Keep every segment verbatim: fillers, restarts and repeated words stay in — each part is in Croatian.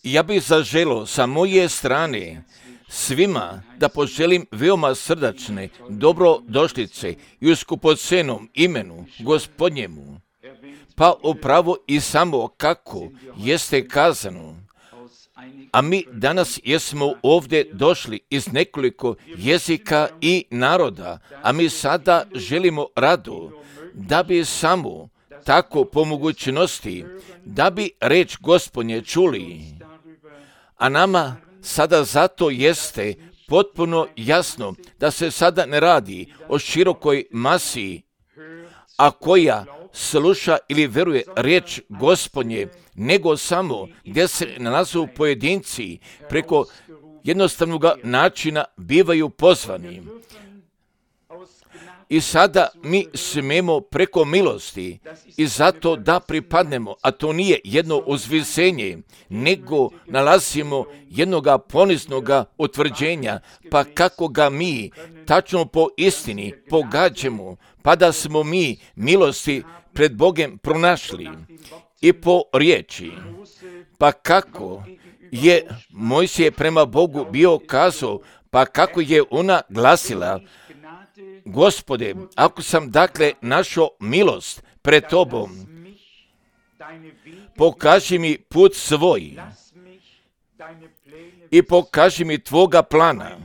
Ja bih zaželio sa moje strane svima da poželim veoma srdačne dobrodošlice i u skupocenom imenu Gospodnjemu, pa upravo i samo kako jeste kazano. A mi danas jesmo ovdje došli iz nekoliko jezika i naroda, a mi sada želimo rado da bi samo tako po mogućnosti, da bi reč Gospodnje čuli. A nama sada zato jeste potpuno jasno da se sada ne radi o širokoj masi, a koja sluša ili veruje riječ Gospodnje, nego samo gdje se nalazu pojedinci preko jednostavnog načina bivaju pozvani. I sada mi smemo preko milosti i zato da pripadnemo, a to nije jedno uzvisenje, nego nalazimo jednoga poniznoga utvrđenja, pa kako ga mi tačno po istini pogađamo, pa da smo mi milosti pred Bogom pronašli i po riječi. Pa kako je Mojsije prema Bogu bio kazao, pa kako je ona glasila: Gospode, ako sam dakle našao milost pred Tobom, pokaži mi put svoj i pokaži mi Tvoga plana.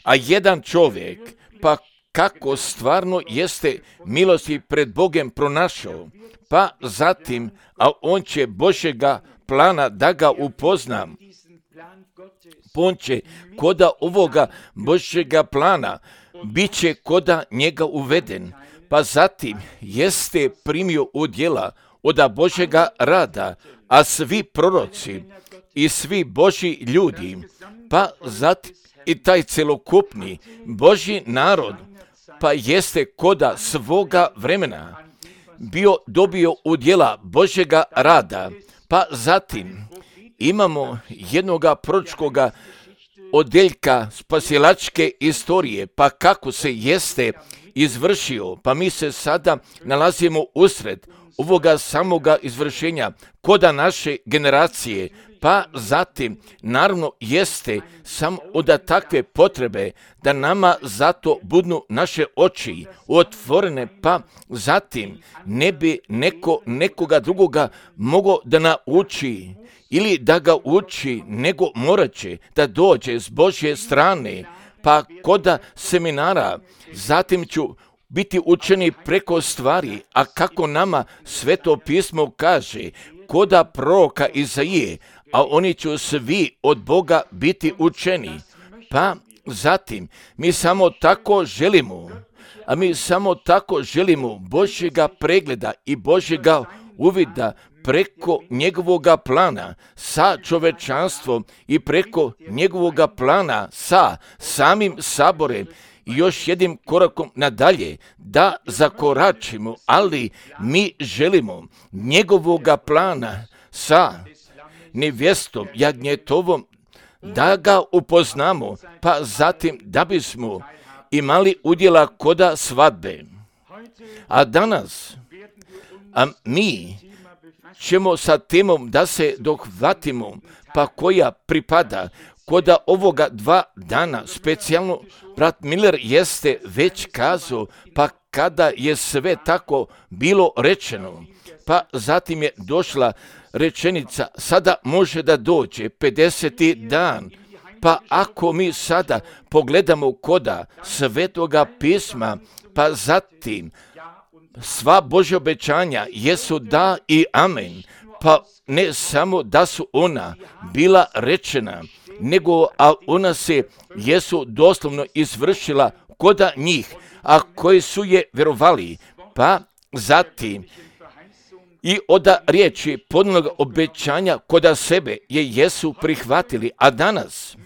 A jedan čovjek, pa kako stvarno jeste milosti pred Bogom pronašao, pa zatim, a on će Božjega plana da ga upoznam, on će koda ovoga Božjega plana bit će koda njega uveden, pa zatim jeste primio udjela od Božjega rada, a svi proroci i svi Božji ljudi, pa zatim i taj celokupni Božji narod, pa jeste koda svoga vremena bio dobio udjela Božjega rada, pa zatim imamo jednoga proročkoga odeljka spasilačke istorije, pa kako se jeste izvršio, pa mi se sada nalazimo usred ovoga samoga izvršenja koda naše generacije, pa zatim naravno jeste samo od takve potrebe da nama zato budnu naše oči otvorene, pa zatim ne bi neko nekoga drugoga mogao da nauči ili da ga uči, nego morat će da dođe s Božje strane, pa koda seminara, zatim ću biti učeni preko stvari, a kako nama Sveto pismo kaže, koda proroka Izaije, a oni će svi od Boga biti učeni. Pa zatim mi samo tako želimo, a mi samo tako želimo Božjega pregleda i Božjega uvida preko njegovoga plana sa čovečanstvom i preko njegovoga plana sa samim saborem i još jednim korakom nadalje da zakoračimo, ali mi želimo njegovoga plana sa nevjestom jagnjetovom da ga upoznamo, pa zatim da bismo imali udjela koda svadbe. A danas, a mi ćemo sa temom da se dohvatimo, pa koja pripada koda ovoga dva dana, specijalno brat Miller jeste već kazao, pa kada je sve tako bilo rečeno, pa zatim je došla rečenica, sada može da dođe pedeseti dan, pa ako mi sada pogledamo koda Svetoga pisma, pa zatim sva Božja obećanja jesu da i amen, pa ne samo da su ona bila rečena, nego a ona se jesu doslovno izvršila koda njih, a koji su je vjerovali, pa zatim i od riječi podnog obećanja koda sebe je jesu prihvatili, a danas,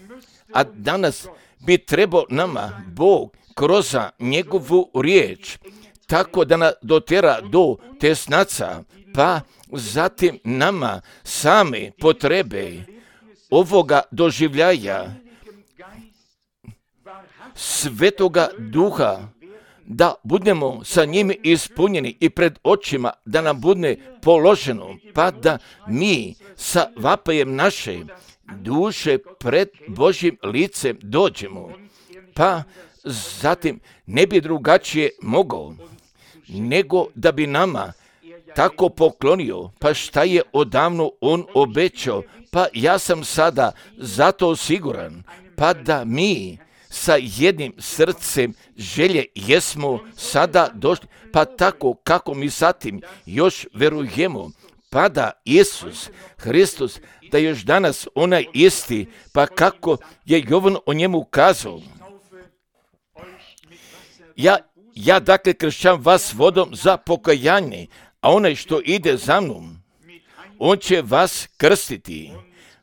a danas bi trebao nama Bog kroz njegovu riječ tako da nas dotera do tesnaca, pa zatim nama same potrebe ovoga doživljaja Svetoga Duha da budemo sa njim ispunjeni i pred očima da nam bude položeno, pa da mi sa vapajem naše duše pred Božjim licem dođemo, pa zatim ne bi drugačije mogao nego da bi nama tako poklonio, pa šta je odavno on obećao, pa ja sam sada zato siguran, pa da mi sa jednim srcem želje jesmo sada došli, pa tako kako mi zatim još verujemo, pa da Isus Hristos, da još danas onaj isti, pa kako je Jovan o njemu kazao. Ja, ja dakle kršćam vas vodom za pokajanje, a onaj što ide za mnom, on će vas krstiti,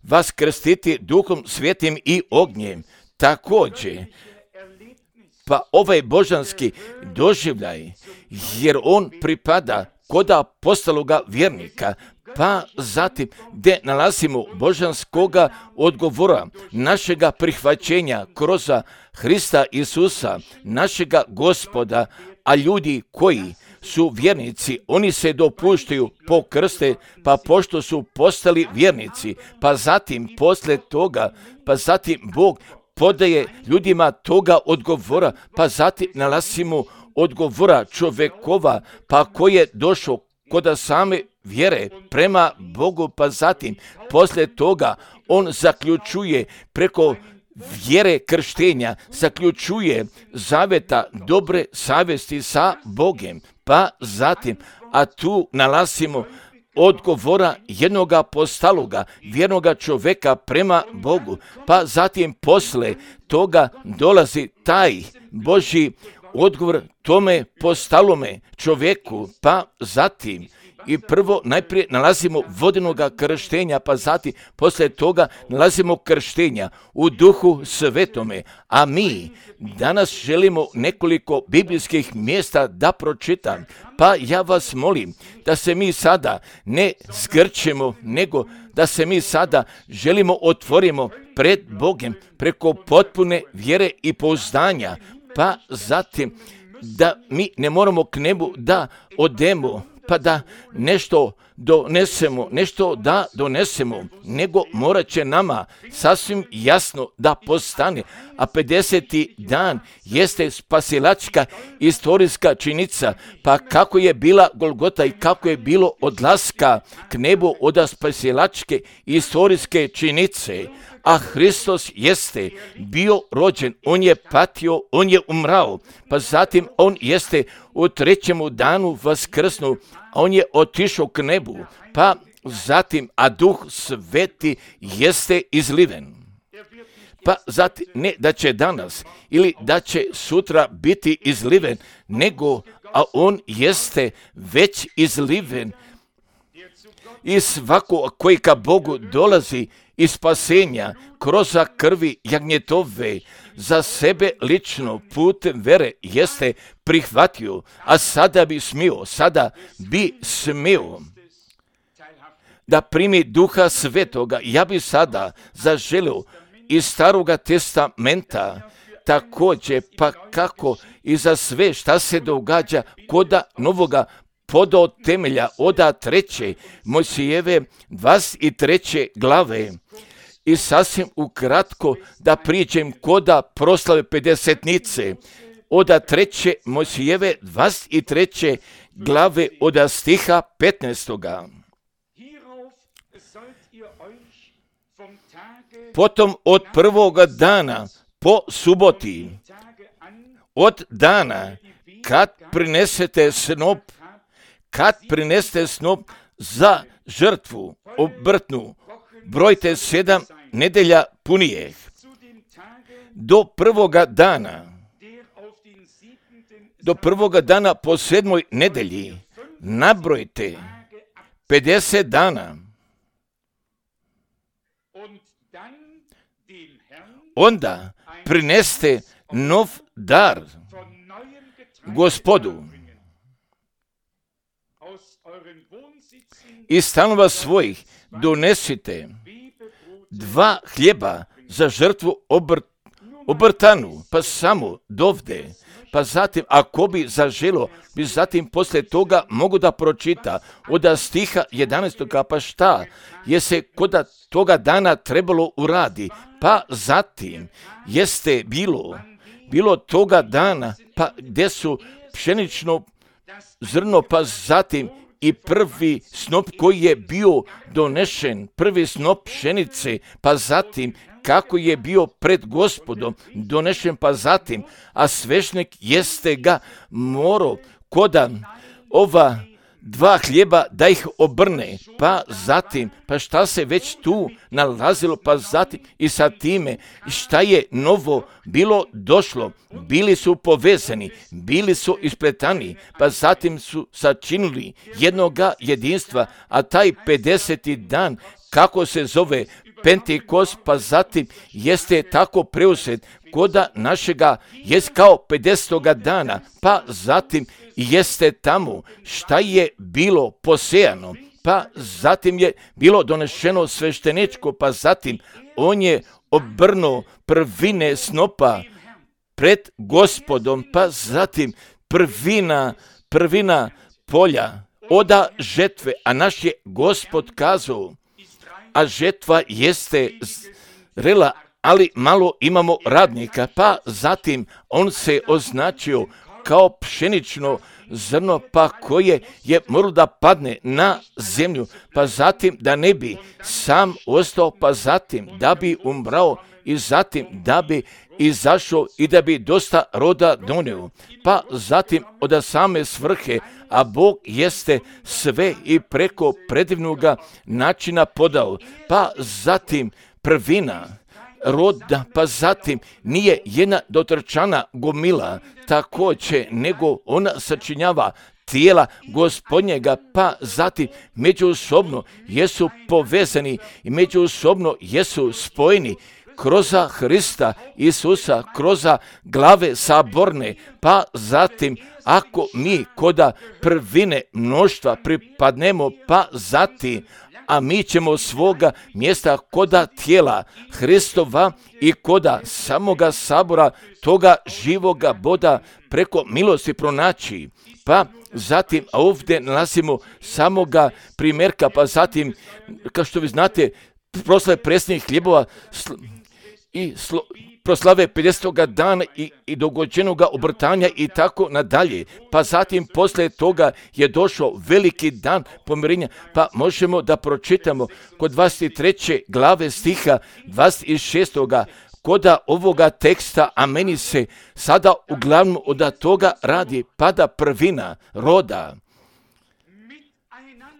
vas krstiti Duhom Svetim i ognjem. Također, pa ovaj božanski doživljaj, jer on pripada kod apostologa vjernika, pa zatim gdje nalazimo božanskoga odgovora, našega prihvaćenja kroz Hrista Isusa, našega Gospoda, a ljudi koji su vjernici, oni se dopuštaju pokrste, pa pošto su postali vjernici, pa zatim posle toga, pa zatim Bog podaje ljudima toga odgovora, pa zatim nalazimo odgovora čovjekova, pa koji je došao kod same vjere prema Bogu, pa zatim poslije toga on zaključuje preko vjere krštenja, zaključuje zaveta dobre savjesti sa Bogom, pa zatim, a tu nalazimo odgovora jednog apostaloga, vjernoga čovjeka prema Bogu, pa zatim posle toga dolazi taj Božji odgovor tome postalome čovjeku, pa zatim i prvo najprije nalazimo vodenoga krštenja, pa zatim poslije toga nalazimo krštenja u Duhu Svetome, a mi danas želimo nekoliko biblijskih mjesta da pročitam, pa ja vas molim da se mi sada ne zgrčemo, nego da se mi sada želimo otvorimo pred Bogom preko potpune vjere i pouzdanja, pa zatim da mi ne moramo k nebu da odemo, pa da nešto donesemo, nešto da donesemo, nego morat će nama sasvim jasno da postane, a pedeseti dan jeste spasilačka istorijska činjenica, pa kako je bila Golgota i kako je bilo odlaska k nebu od spasilačke istorijske činjenice, a Hristos jeste bio rođen, on je patio, on je umrao, pa zatim on jeste u trećemu danu vaskrsnuo, a on je otišao k nebu, pa zatim, a Duh Sveti jeste izliven. Pa zatim, ne da će danas ili da će sutra biti izliven, nego, a on jeste već izliven i svako koji ka Bogu dolazi iz spasenja kroz krvi jagnjetove za sebe lično putem vere jeste prihvatio, a sada bi smio, sada bi smio da primi Duha Svetoga. Ja bi sada zaželio iz Staroga testamenta također, pa kako i za sve šta se događa kod Novoga podo temelja oda treće Mojsijeve dvadeset treće glave. I sasvim ukratko da priđem koda proslave pedesetnice oda treće Mojsijeve dvadeset treće glave oda stiha petnaestoga. Potom od prvoga dana po suboti, od dana kad prinesete snop, kad prinesete snop za žrtvu obrtnu, brojte sedam nedelja punijeh. Do prvoga dana, do prvoga dana po sedmoj nedelji, nabrojte pedeset dana. Onda prineste nov dar Gospodu. Iz stanova svojih donesite dva hljeba za žrtvu obrt, obrtanu, pa samo dovde, pa zatim ako bi zaželo, bi zatim poslije toga mogu da pročita od stiha jedanaestog pa šta je se kod toga dana trebalo uradi, pa zatim jeste bilo, bilo toga dana, pa gdje su pšenično zrno, pa zatim i prvi snop koji je bio donešen, prvi snop pšenice, pa zatim kako je bio pred Gospodom donešen, pa zatim, a svešnik jeste ga morao koda ova dva hljeba da ih obrne, pa zatim, pa šta se već tu nalazilo, pa zatim i sa time šta je novo bilo došlo, bili su povezani, bili su ispletani, pa zatim su sačinili jednoga jedinstva, a taj pedeseti dan, kako se zove Pentekost, pa zatim jeste tako preuzet koda našega jest kao pedesetoga dana, pa zatim jeste tamo šta je bilo posejano, pa zatim je bilo donešeno svešteničko, pa zatim on je obrnuo prvine snopa pred Gospodom, pa zatim prvina, prvina polja oda žetve, a naš je Gospod kazao, a žetva jeste zrela, ali malo imamo radnika, pa zatim on se označio kao pšenično zrno, pa koje je moralo da padne na zemlju, pa zatim da ne bi sam ostao, pa zatim da bi umrao i zatim da bi izašao i da bi dosta roda donio, pa zatim od same svrhe, a Bog jeste sve i preko predivnoga načina podao, pa zatim prvina roda, pa zatim nije jedna dotrčana gomila, također nego ona sačinjava tijela Gospodnjega, pa zatim međusobno jesu povezani i međusobno jesu spojeni kroz Hrista Isusa, kroz glave saborne, pa zatim ako mi koda prvine mnoštva pripadnemo, pa zatim a mi ćemo svoga mjesta koda tijela Hristova i koda samoga sabora toga živoga Boga preko milosti pronaći. Pa zatim, a ovdje nalazimo samoga primjerka, pa zatim, kao što vi znate, proslave presnih hljebova sl- i slo- proslave pedesetoga dana i, i dogođenoga obrtanja i tako nadalje. Pa zatim poslije toga je došao veliki dan pomirenja, pa možemo da pročitamo kod dvadeset treće glave stiha dvadeset šestog koda ovoga teksta, a meni se sada uglavnom od toga radi pada prvina roda,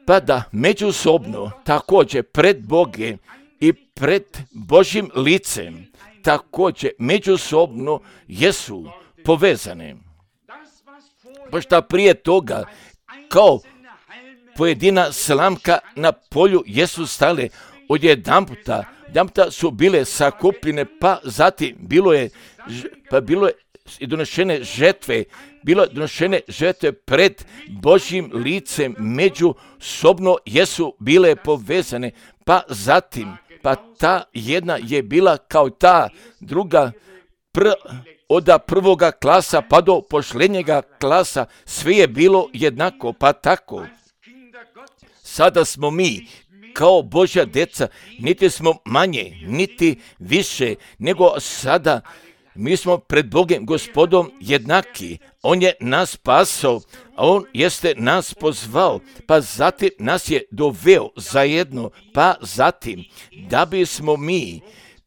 pa da međusobno također pred Boge i pred Božjim licem također međusobno jesu povezane. Pa šta prije toga kao pojedina slamka na polju jesu stale odjedanputa, odjedanputa su bile sakupljene, pa zatim bilo je, pa bilo je i donešene žetve, bilo je donešene žetve pred Božjim licem, međusobno jesu bile povezane, pa zatim pa ta jedna je bila kao ta druga pr, od prvoga klasa pa do pošljenjega klasa, sve je bilo jednako, pa tako. Sada smo mi kao Božja deca, niti smo manje, niti više, nego sada mi smo pred Bogom Gospodom jednaki. On je nas spasao, a on jeste nas pozvao, pa zatim nas je doveo zajedno, pa zatim da bismo mi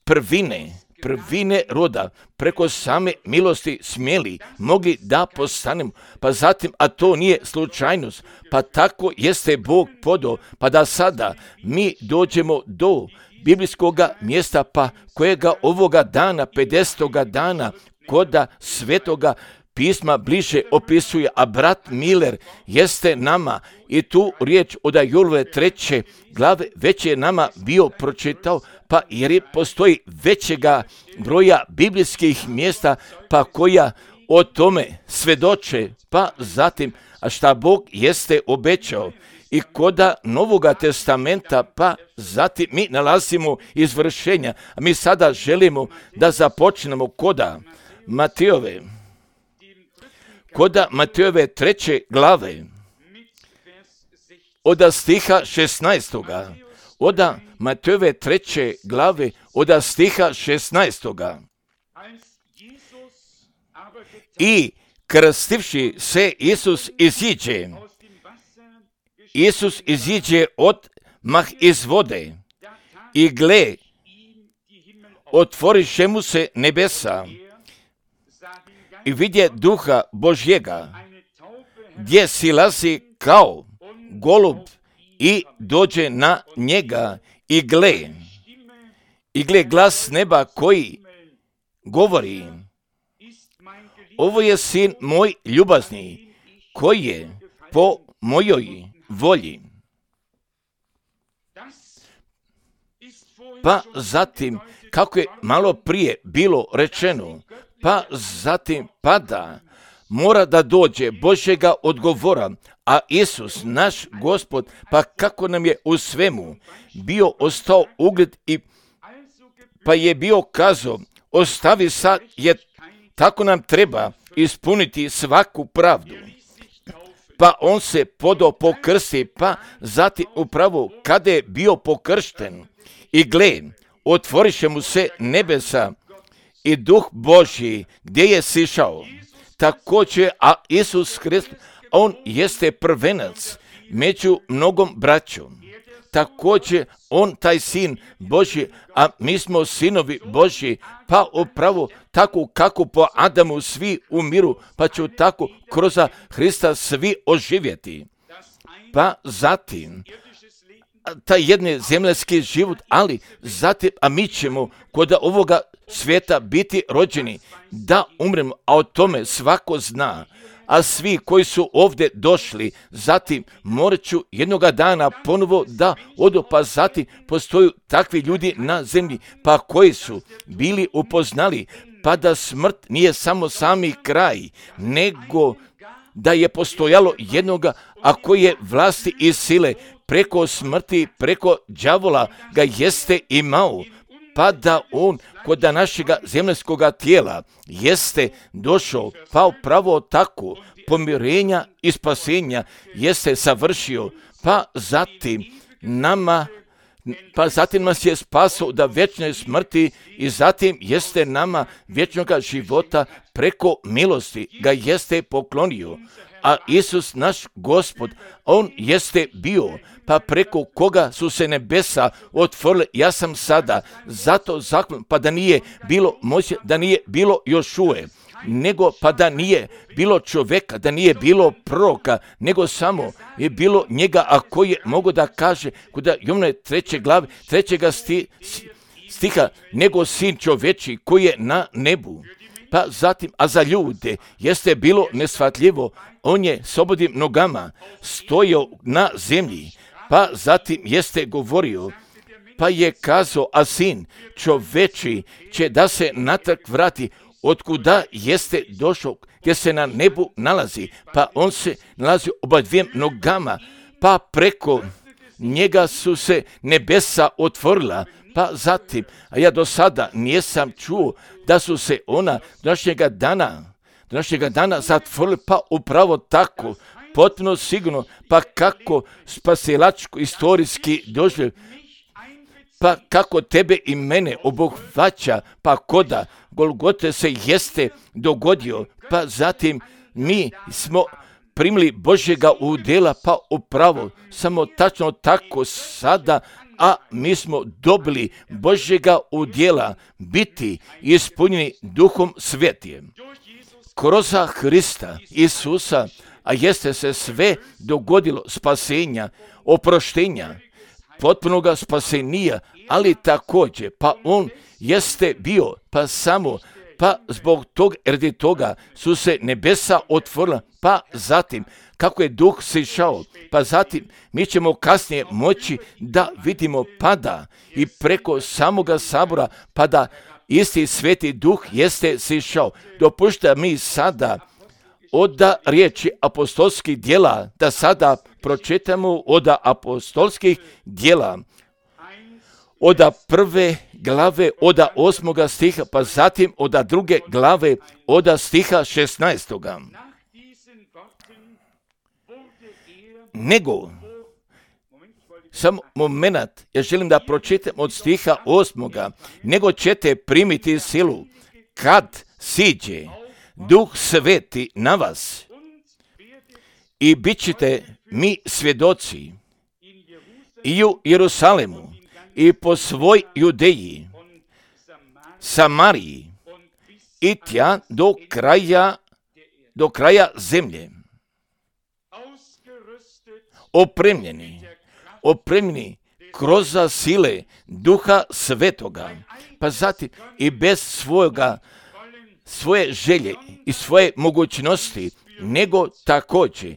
prvine, prvine roda preko same milosti smjeli, mogli da postanemo, pa zatim, a to nije slučajnost, pa tako jeste Bog podao, pa da sada mi dođemo do biblijskoga mjesta, pa kojega ovoga dana, pedesetoga dana, koda svetoga pisma bliže opisuje, a brat Miller jeste nama i tu riječ od Jurove treće glave već je nama bio pročitao, pa jer je postoji većega broja biblijskih mjesta, pa koja o tome svedoče, pa zatim, a šta Bog jeste obećao. I koda Novoga testamenta, pa zatim mi nalazimo izvršenja, a mi sada želimo da započnemo koda Matejove Koda Matejove treće glave, od stiha šesnaestoga. Oda Matejove treće glave, od stiha šesnaestoga. I krstivši se Isus iziđe. Isus iziđe odmah iz vode. I gle, otvoriše mu se nebesa. I vidje duha Božjega, gdje silazi kao golub i dođe na njega. I gle, i gle glas neba koji govori: ovo je sin moj ljubazni, koji je po mojoj volji. Pa zatim, kako je malo prije bilo rečeno, pa zatim pada, mora da dođe Božjega odgovora, a Isus, naš Gospod, pa kako nam je u svemu bio ostao ugled i pa je bio kazao, ostavi sad, jer tako nam treba ispuniti svaku pravdu. Pa on se podao pokrsti, pa zatim upravo kada je bio pokršten, i gle, otvoriše mu se nebesa i duh Božji gdje je sišao. Također, a Isus Hrist, on jeste prvenac među mnogom braćom. Također, on taj sin Božji, a mi smo sinovi Božji, pa upravo tako kako po Adamu svi umiru, pa će tako kroz Hrista svi oživjeti. Pa zatim, taj jedni zemljski život, ali zatim, a mi ćemo kod ovoga svijeta biti rođeni, da umremo, a o tome svako zna. A svi koji su ovdje došli, zatim morat ću jednoga dana ponovo da odu, pa zatim postoju takvi ljudi na zemlji, pa koji su bili upoznali, pa da smrt nije samo sami kraj, nego da je postojalo jednoga, a koji je vlasti i sile preko smrti, preko đavola ga jeste imao, pa da on kod našega zemljskoga tijela jeste došao, pa upravo tako pomirenja i spasenja jeste savršio, pa zatim nama, pa zatim nas je spasao da vječne smrti i zatim jeste nama vječnoga života preko milosti ga jeste poklonio. A Isus, naš Gospod, on jeste bio, pa preko koga su se nebesa otvorile. Ja sam sada zato zaklon, pa da nije bilo Mojsija, da nije bilo Jošue, nego pa da nije bilo čovjeka, da nije bilo proroka, nego samo je bilo njega, a koji je mogo da kaže kod Jovnove treće glave, trećega sti, stiha, nego sin čovječi koji je na nebu. Pa zatim, a za ljude jeste bilo neshvatljivo, on je slobodnim nogama stojao na zemlji, pa zatim jeste govorio, pa je kazao, a sin čovječi će da se natrag vrati, otkuda jeste došao, gdje se na nebu nalazi, pa on se nalazi oba dvijem nogama, pa preko njega su se nebesa otvorila, pa zatim, a ja do sada nisam čuo da su se ona današnjega dana, današnjega dana zatvorili, pa upravo tako, potpuno sigurno, pa kako spasilačko istorijski doživljaj, pa kako tebe i mene obuhvaća, pa koda Golgote se jeste dogodio, pa zatim mi smo primili Božjega udjela, pa upravo samo tačno tako sada, a mi smo dobili Božjega udjela biti ispunjeni Duhom Svetijem. Kroz Hrista Isusa, a jeste se sve dogodilo spasenja, oproštenja, potpunoga spasenija, ali također, pa on jeste bio, pa samo, pa zbog tog, radi toga su se nebesa otvorila, pa zatim, kako je duh sišao, pa zatim mi ćemo kasnije moći da vidimo pada i preko samoga sabora, pa da isti sveti duh jeste sišao. Dopušta mi sada od riječi apostolskih djela, da sada pročitamo od apostolskih djela, od prve glave, od osmoga stiha, pa zatim od druge glave, od stiha šesnaestoga. nego, samo moment, ja želim da pročitam od stiha osmoga, nego ćete primiti silu kad siđe Duh Sveti na vas i bit ćete mi svjedoci i u Jerusalemu i po svoj Judeji, Samariji i tja do kraja, do kraja zemlje. Opremljeni, opremljeni kroz sile Duha Svetoga, pa zatim i bez svojega, svoje želje i svoje mogućnosti, nego također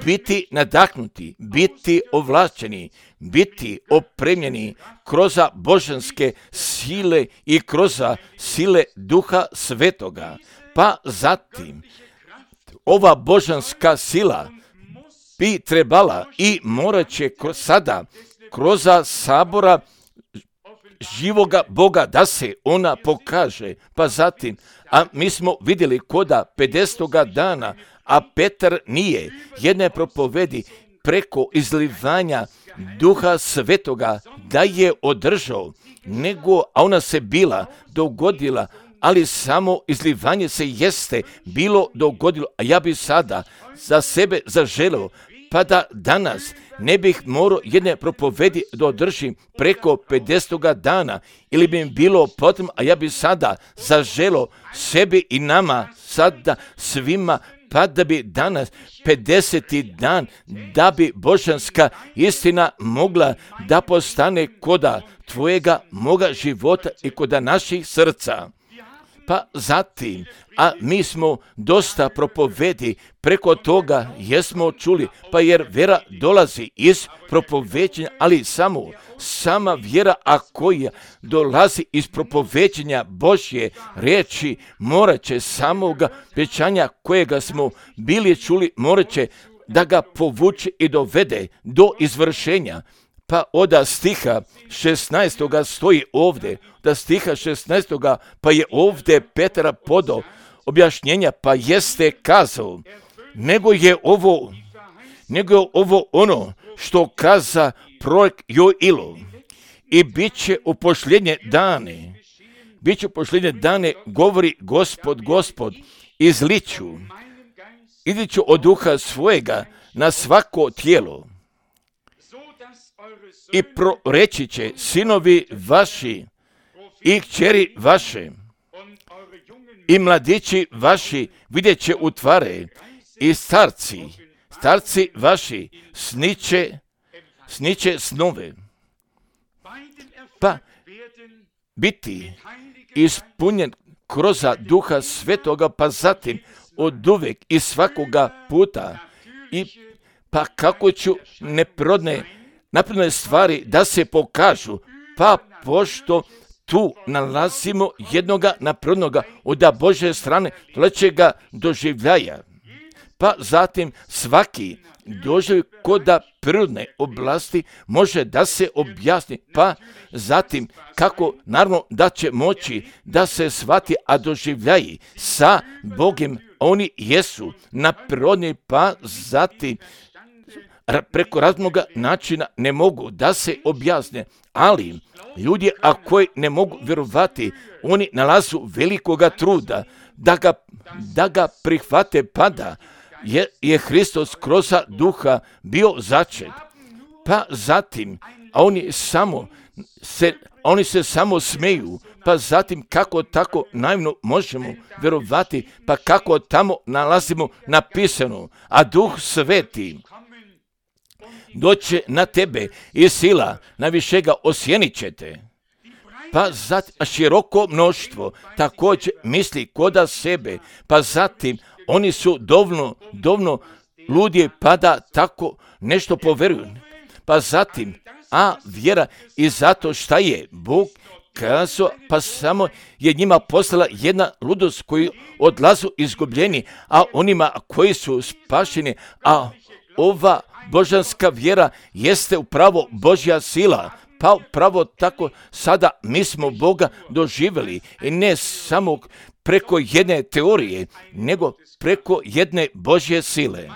biti nadahnuti, biti ovlašćeni, biti opremljeni kroz božanske sile i kroz sile Duha Svetoga. Pa zatim ova božanska sila bi trebala i morat će sada kroz sabora živoga Boga da se ona pokaže. Pa zatim, a mi smo vidjeli koda pedesetoga dana, a Petar nije jedne propovedi preko izlivanja Duha Svetoga da je održao, nego a ona se bila dogodila, ali samo izlivanje se jeste bilo dogodilo, a ja bi sada za sebe zaželeo, pa da danas ne bih morao jedne propovedi da održim preko pedesetoga dana, ili bi mi bilo potrebno, a ja bi sada zaželeo sebi i nama, sada svima, pa da bi danas pedeseti dan, da bi božanska istina mogla da postane koda tvojega, moga života i koda naših srca. Pa zatim, a mi smo dosta propovedi preko toga jesmo čuli, pa jer vjera dolazi iz propoveđenja, ali samo sama vjera, a koja dolazi iz propoveđenja Božje riječi, morat će samoga obećanja kojega smo bili čuli, morat će da ga povuče i dovede do izvršenja. Pa od stiha šesnaestoga stoji ovdje, da stiha šesnaestoga pa je ovdje Petra podao objašnjenja, pa jeste kazao, nego je ovo, nego je ovo ono što kaza prorok Joil, i bit će u posljednje dane, bit će u posljednje dane, govori Gospod, Gospod, izliću, izliću od duha svojega na svako tijelo, i proreći će sinovi vaši i kćeri vaše i mladići vaši vidjet će utvare, i starci, starci vaši sniće, sniće snove. Pa biti ispunjen kroz Duha Svetoga, pa zatim od uvijek i svakoga puta, i pa kako ću neprirodne napredne stvari da se pokažu, pa pošto tu nalazimo jednoga naprednoga od Božje strane trećega doživljaja, pa zatim svaki doživljaj koda prirodne oblasti može da se objasni, pa zatim kako naravno da će moći da se shvati, a doživljaji sa Bogom oni jesu napredni, pa zatim preko raznoga načina ne mogu da se objasne, ali ljudi a koji ne mogu vjerovati, oni nalazu velikoga truda da ga, da ga prihvate, pada je, je Hristos kroz duha bio začet. Pa zatim, a oni samo se, oni se samo smeju, pa zatim kako tako naivno možemo vjerovati, pa kako tamo nalazimo napisano, a Duh Sveti doće na tebe i sila najvišega osjenit ćete. Pa zatim široko mnoštvo također misli koda sebe, pa zatim oni su dovoljno, dovoljno ludi pa da tako nešto poveruju. Pa zatim, a vjera i zato šta je Bog kazao, pa samo je njima poslala jedna ludost koji odlazu izgubljeni, a onima koji su spašeni, a ova božanska vjera jeste upravo Božja sila, pa upravo tako sada mi smo Boga doživjeli i ne samo preko jedne teorije, nego preko jedne Božje sile.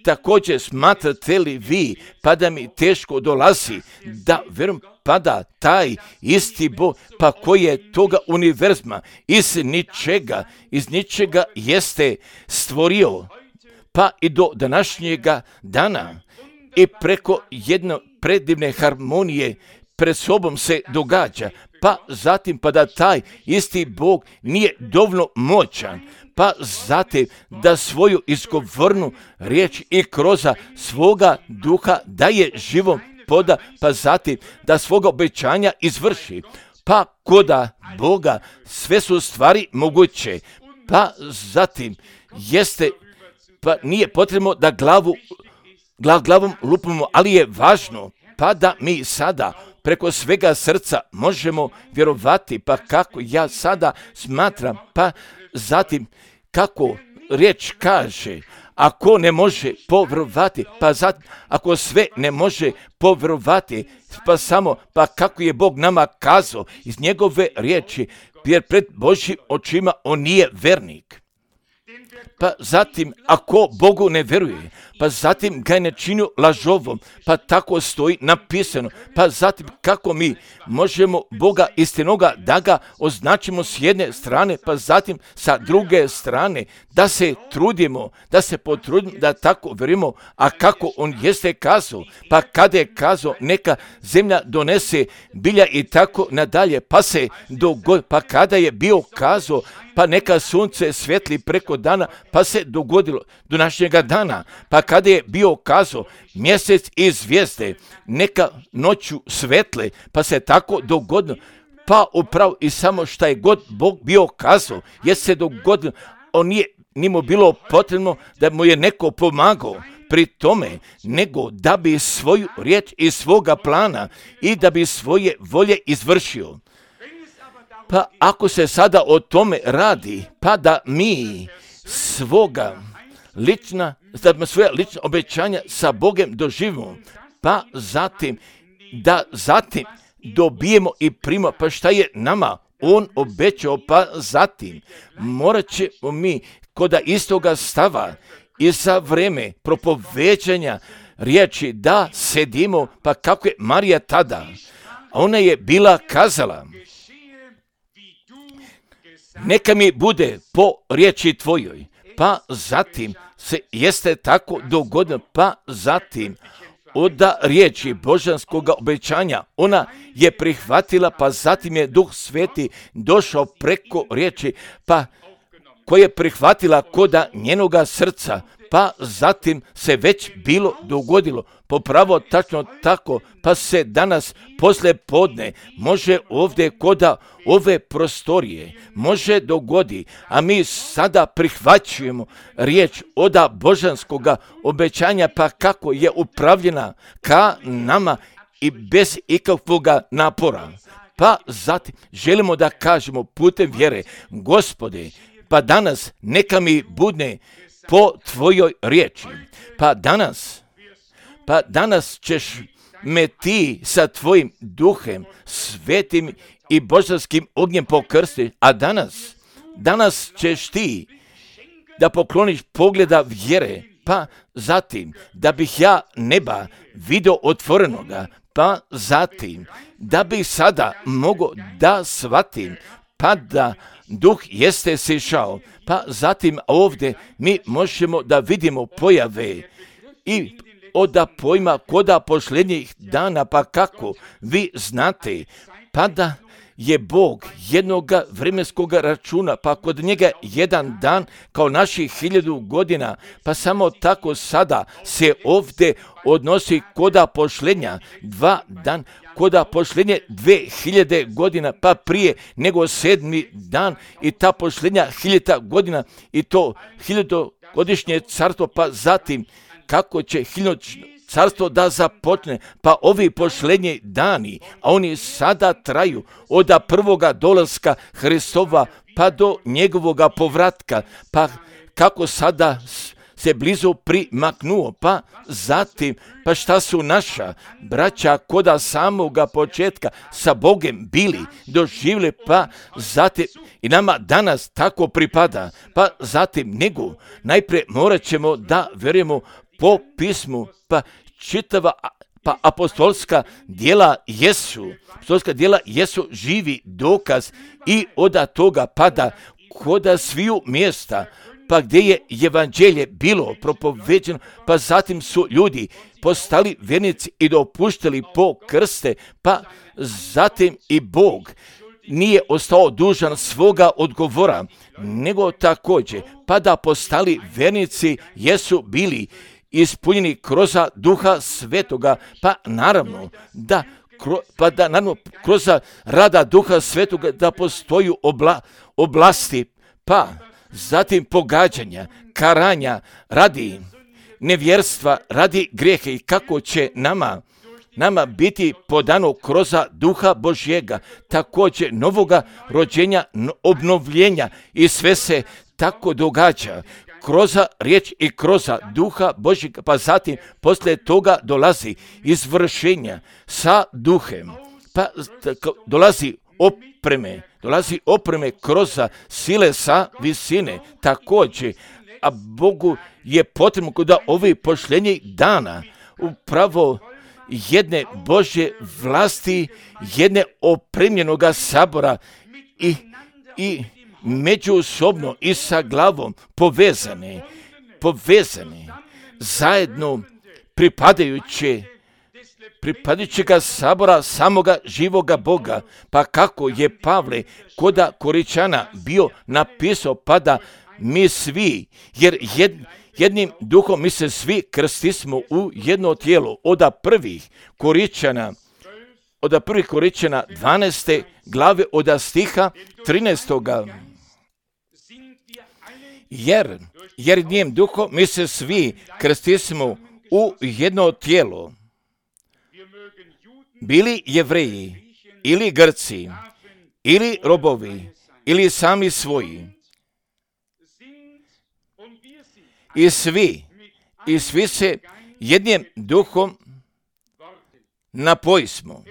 također smatrate li vi, pa da mi teško dolazi, da vjerujem, pa da taj isti Bog, pa koji je toga univerzuma, iz ničega, iz ničega jeste stvorio, pa i do današnjega dana i preko jedne predivne harmonije pred sobom se događa, pa zatim pa da taj isti Bog nije dovoljno moćan, pa zatim da svoju izgovornu riječ i kroz svoga duha daje živom poda, pa zatim da svoga obećanja izvrši. Pa koda Boga sve su stvari moguće, pa zatim jeste, pa nije potrebno da glavu, glav, glavom lupimo, ali je važno pa da mi sada preko svega srca možemo vjerovati, pa kako ja sada smatram, pa zatim kako riječ kaže, ako ne može povjerovati, pa zatim ako sve ne može povjerovati, pa samo, pa kako je Bog nama kazao iz njegove riječi, jer pred Božjim očima on nije vernik. Pa zatim, ako Bogu ne vjeruje, pa zatim ga je ne čini lažovom, pa tako stoji napisano. Pa zatim, kako mi možemo Boga istinoga da ga označimo s jedne strane, pa zatim sa druge strane, da se trudimo, da se potrudimo, da tako vjerujemo, a kako on jeste kazao, pa kada je kazao neka zemlja donese bilja i tako nadalje, pa se dogodi, pa kada je bio kazao, pa neka sunce svetli preko dana, pa se dogodilo do današnjega dana. Pa kada je bio kazao mjesec i zvijezde, neka noću svetle, pa se tako dogodilo. Pa upravo i samo šta je god Bog bio kazao, je se dogodilo. On nije, nije mu bilo potrebno da mu je neko pomagao pri tome, nego da bi svoju riječ i svoga plana i da bi svoje volje izvršio. Pa ako se sada o tome radi, pa da mi svoga lična, da svoja lična obećanja sa Bogem doživimo, pa zatim da zatim dobijemo i primamo, pa šta je nama on obećao, pa zatim morat ćemo mi koda istoga stava i za vreme propoveđanja riječi da sedimo, pa kako je Marija tada, ona je bila kazala, neka mi bude po riječi tvojoj, pa zatim se jeste tako dogodilo, pa zatim od riječi božanskog obećanja ona je prihvatila, pa zatim je Duh Sveti došao preko riječi, pa koje je prihvatila koda njenoga srca, pa zatim se već bilo dogodilo, popravo tačno tako, pa se danas poslije podne može ovdje koda ove prostorije, može dogodi, a mi sada prihvaćujemo riječ oda božanskoga obećanja, pa kako je upravljena ka nama i bez ikakvoga napora. Pa zatim želimo da kažemo putem vjere, Gospode, pa danas neka mi bude po tvojoj riječi. Pa danas, pa danas ćeš me ti sa tvojim duhem, svetim i božanskim ognjem pokrstiti, a danas, danas ćeš ti da pokloniš pogleda vjere, pa zatim da bih ja neba vidio otvorenoga, pa zatim da bih sada mogao da shvatim, pa da Duh jeste sišao, pa zatim ovdje mi možemo da vidimo pojave i oda pojma koda posljednjih dana, pa kako vi znate, pa da je Bog jednoga vremenskog računa, pa kod njega jedan dan kao naših hiljadu godina, pa samo tako sada se ovdje odnosi koda posljednja dva dan, koda posljednje dve hiljade godina, pa prije nego sedmi dan i ta posljednja hiljada godina i to hiljadogodišnje carstvo, pa zatim kako će hiljadogodišnje carstvo da započne, pa ovi posljednji dani, a oni sada traju od prvoga dolaska Hristova pa do njegovoga povratka, pa kako sada se blizu primaknuo, pa zatim, pa šta su naša braća koda samoga početka sa Bogem bili, doživjeli, pa zatim i nama danas tako pripada, pa zatim nego najprije morat ćemo da vjerujemo po pismu, pa čitava pa apostolska djela jesu, apostolska djela jesu živi dokaz i od toga pada koda sviju mjesta, pa gdje je evanđelje bilo propoveđeno, pa zatim su ljudi postali vjernici i dopuštali po krste, pa zatim i Bog nije ostao dužan svoga odgovora, nego također, pa da postali vjernici jesu bili ispunjeni kroz Duha Svetoga, pa naravno da pa da naravno kroz rada Duha Svetoga da postoju obla, oblasti, pa zatim pogađanja, karanja radi nevjerstva, radi grijehe i kako će nama nama biti podano kroz Duha Božjega, također novoga rođenja, obnovljenja i sve se tako događa kroz riječ i kroz Duha Božjega, pa zatim poslije toga dolazi izvršenja sa Duhem, pa dolazi opreme, dolazi opreme kroz sile sa visine također, a Bogu je potrebno kod ovih pošljenjih dana upravo jedne Božje vlasti, jedne opremljenoga sabora i, i međusobno i sa glavom povezane, povezane zajedno pripadajuće pripadajućega sabora samoga živoga Boga, pa kako je Pavle koda Koričana bio napisao, pa da mi svi, jer jed, jednim duhom mi se svi krstismo u jedno tijelo, od prvih Koričana, od prvih Koričana dvanaeste glave, od stiha trinaestoga Jer, jer jednim duhom mi se svi krstismo u jedno tijelo, bili Jevreji ili Grci, ili robovi, ili sami svoji. I svi, i svi se jednim duhom napojismo.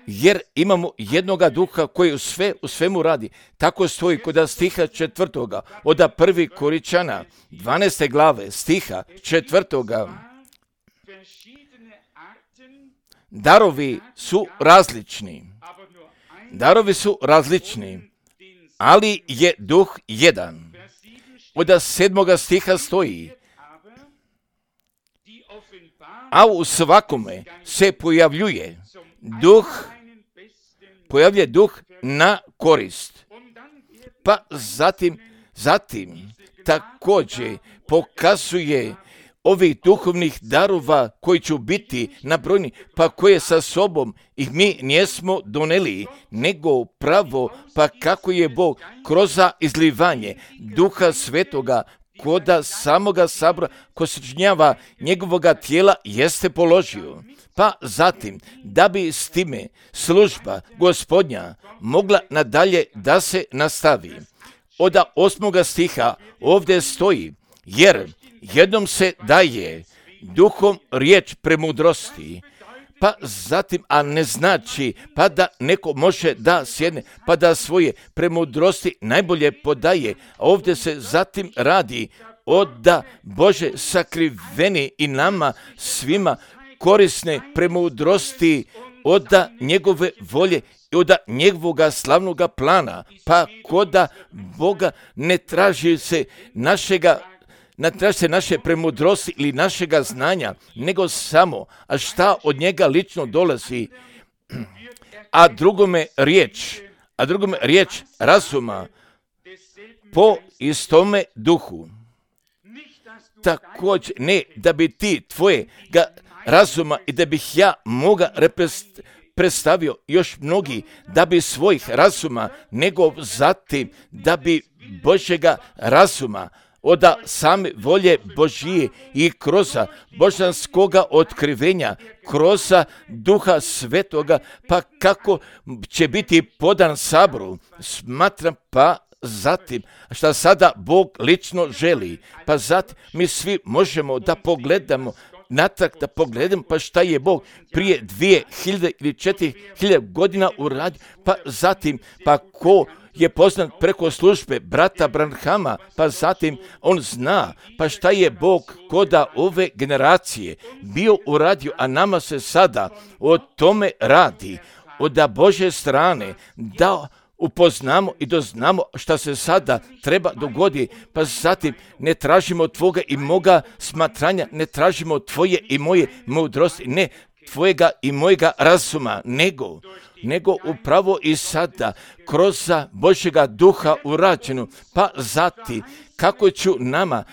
Jer imamo jednoga duha koji u, sve, u svemu radi. Tako stoji kod stiha četvrtoga, od prvi Koričana, dvanaeste glave, stiha četvrtoga. Darovi su različni. Darovi su različni, ali je duh jedan. Od sedmoga stiha stoji, a u svakome se pojavljuje duh, pojavljuje duh na korist. Pa zatim, zatim također pokazuje ovih duhovnih darova koji će biti nabrojni, pa koje sa sobom ih mi nismo doneli, nego pravo, pa kako je Bog kroz izlivanje Duha Svetoga koda samoga sabora ko sačinjava njegovoga tijela jeste položio. Pa zatim, da bi s time služba Gospodnja mogla nadalje da se nastavi. Od osmoga stiha ovdje stoji, jer jednom se daje duhom riječ premudrosti, pa zatim, a ne znači, pa da neko može da sjedne, pa da svoje premudrosti najbolje podaje. A ovdje se zatim radi od da Bože sakriveni i nama svima korisne premudrosti od da njegove volje i od njegovoga slavnoga plana, pa koda Boga ne traži se našega ne traži se naše premudrosti ili našega znanja, nego samo, a šta od njega lično dolazi, a drugome riječ, a drugome riječ razuma po istome duhu. Također, ne da bi ti tvoje ga razuma i da bih ja moga repres- predstavio još mnogi, da bi svojih razuma, nego zatim da bi Božjega razuma, od same volje Božije i kroz božanskoga otkrivenja, kroz Duha Svetoga, pa kako će biti podan saboru, smatram pa zatim, šta sada Bog lično želi, pa zatim mi svi možemo da pogledamo natrag, da pogledamo pa šta je Bog prije dvije hiljade ili četiri hiljade godina uradio, pa zatim pa ko je poznat preko službe brata Branhama, pa zatim on zna pa šta je Bog koda ove generacije bio uradio, a nama se sada o tome radi, od Božje strane, da upoznamo i doznamo šta se sada treba dogodi, pa zatim ne tražimo tvoga i moga smatranja, ne tražimo tvoje i moje mudrosti, ne tvojega i mojega razuma, nego, nego upravo i sada kroz Božjega duha urađenu, pa zatim kako ću nama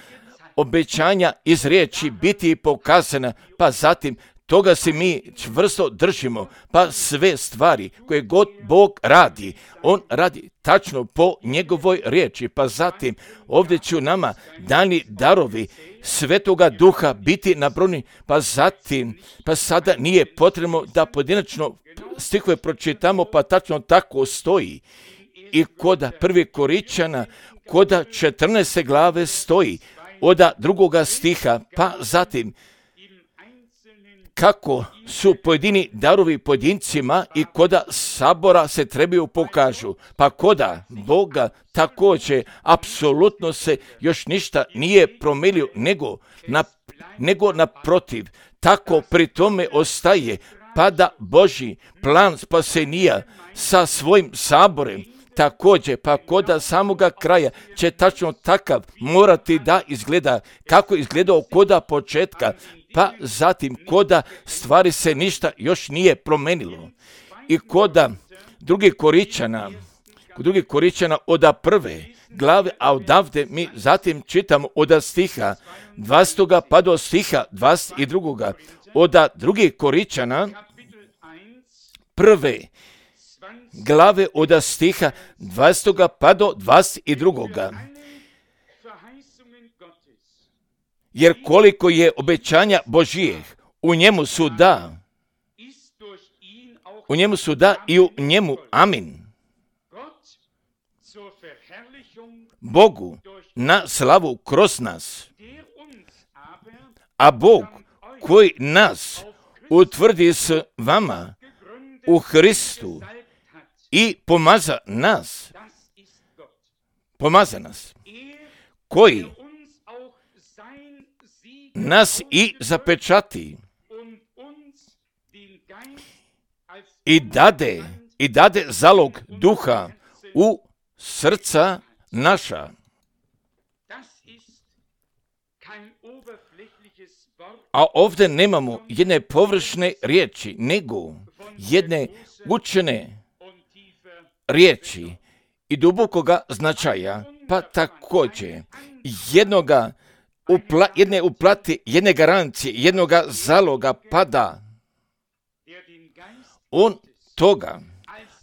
obećanja iz riječi biti pokazana, pa zatim toga se mi čvrsto držimo, pa sve stvari koje god Bog radi, on radi tačno po njegovoj riječi, pa zatim ovdje ću nama dani darovi Svetoga Duha biti nabrojeni, pa zatim, pa sada nije potrebno da pojedinačno stihove pročitamo, pa tačno tako stoji. I koda prvi Koričana, koda četrnaeste glave stoji, oda drugoga stiha, pa zatim kako su pojedini darovi pojedincima i koda sabora se trebaju pokažu, pa koda Boga također apsolutno se još ništa nije promijenio, nego, na, nego naprotiv, tako pri tome ostaje, pa da Božji plan spasenija sa svojim saborem također, pa koda samoga kraja će tačno takav morati da izgleda kako izgledao koda početka, pa zatim koda stvari se ništa još nije promenilo. I koda drugi Koričana, kod drugi Koričana oda prve glave, a odavde mi zatim čitamo oda stiha dvastog pa do stiha dvadeset drugog oda drugi Koričana prve glave oda stiha dvastog pa do dvadeset drugog Jer koliko je obećanja Božijeh, u njemu su da, u njemu su da i u njemu amin. Bogu na slavu kroz nas, a Bog koji nas utvrdi s vama u Hristu i pomaza nas, pomaza nas, koji nas i zapečati i dade, i dade zalog duha u srca naša. A ovdje nemamo jedne površne riječi, nego jedne učene riječi i dubokoga značaja, pa također jednoga upla, jedne uplati, jedne garancije, jednoga zaloga pada. On toga,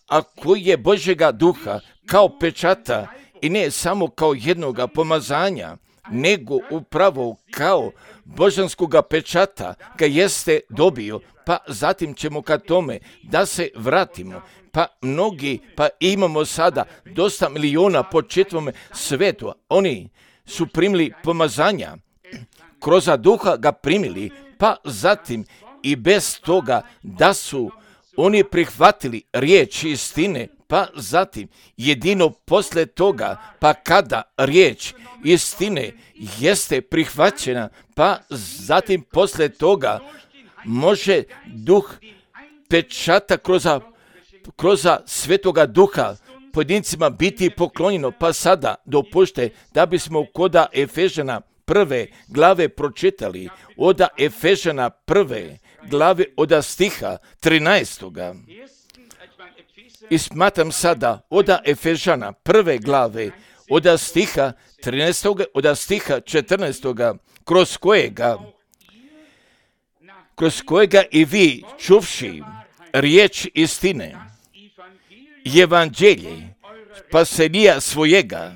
a koji je Božjega duha kao pečata i ne samo kao jednoga pomazanja, nego upravo kao božanskoga pečata ga jeste dobio, pa zatim ćemo ka tome da se vratimo. Pa mnogi, pa imamo sada dosta miliona po čitavome svetu, oni su primili pomazanja, kroz duha ga primili, pa zatim i bez toga da su oni prihvatili riječ istine, pa zatim jedino posle toga, pa kada riječ istine jeste prihvaćena, pa zatim posle toga može duh pečata kroz, kroz Svetoga Duha pojedincima biti poklonjeno, pa sada dopušte da bismo koda Efežana prve glave pročitali, oda Efežana prve glave oda stiha trinaestoga I smatram sada oda Efežana prve glave oda stiha trinaestoga oda stiha četrnaestoga kroz kojega, kroz kojega i vi čuvši riječ istine, evanđelje spasenija svojega,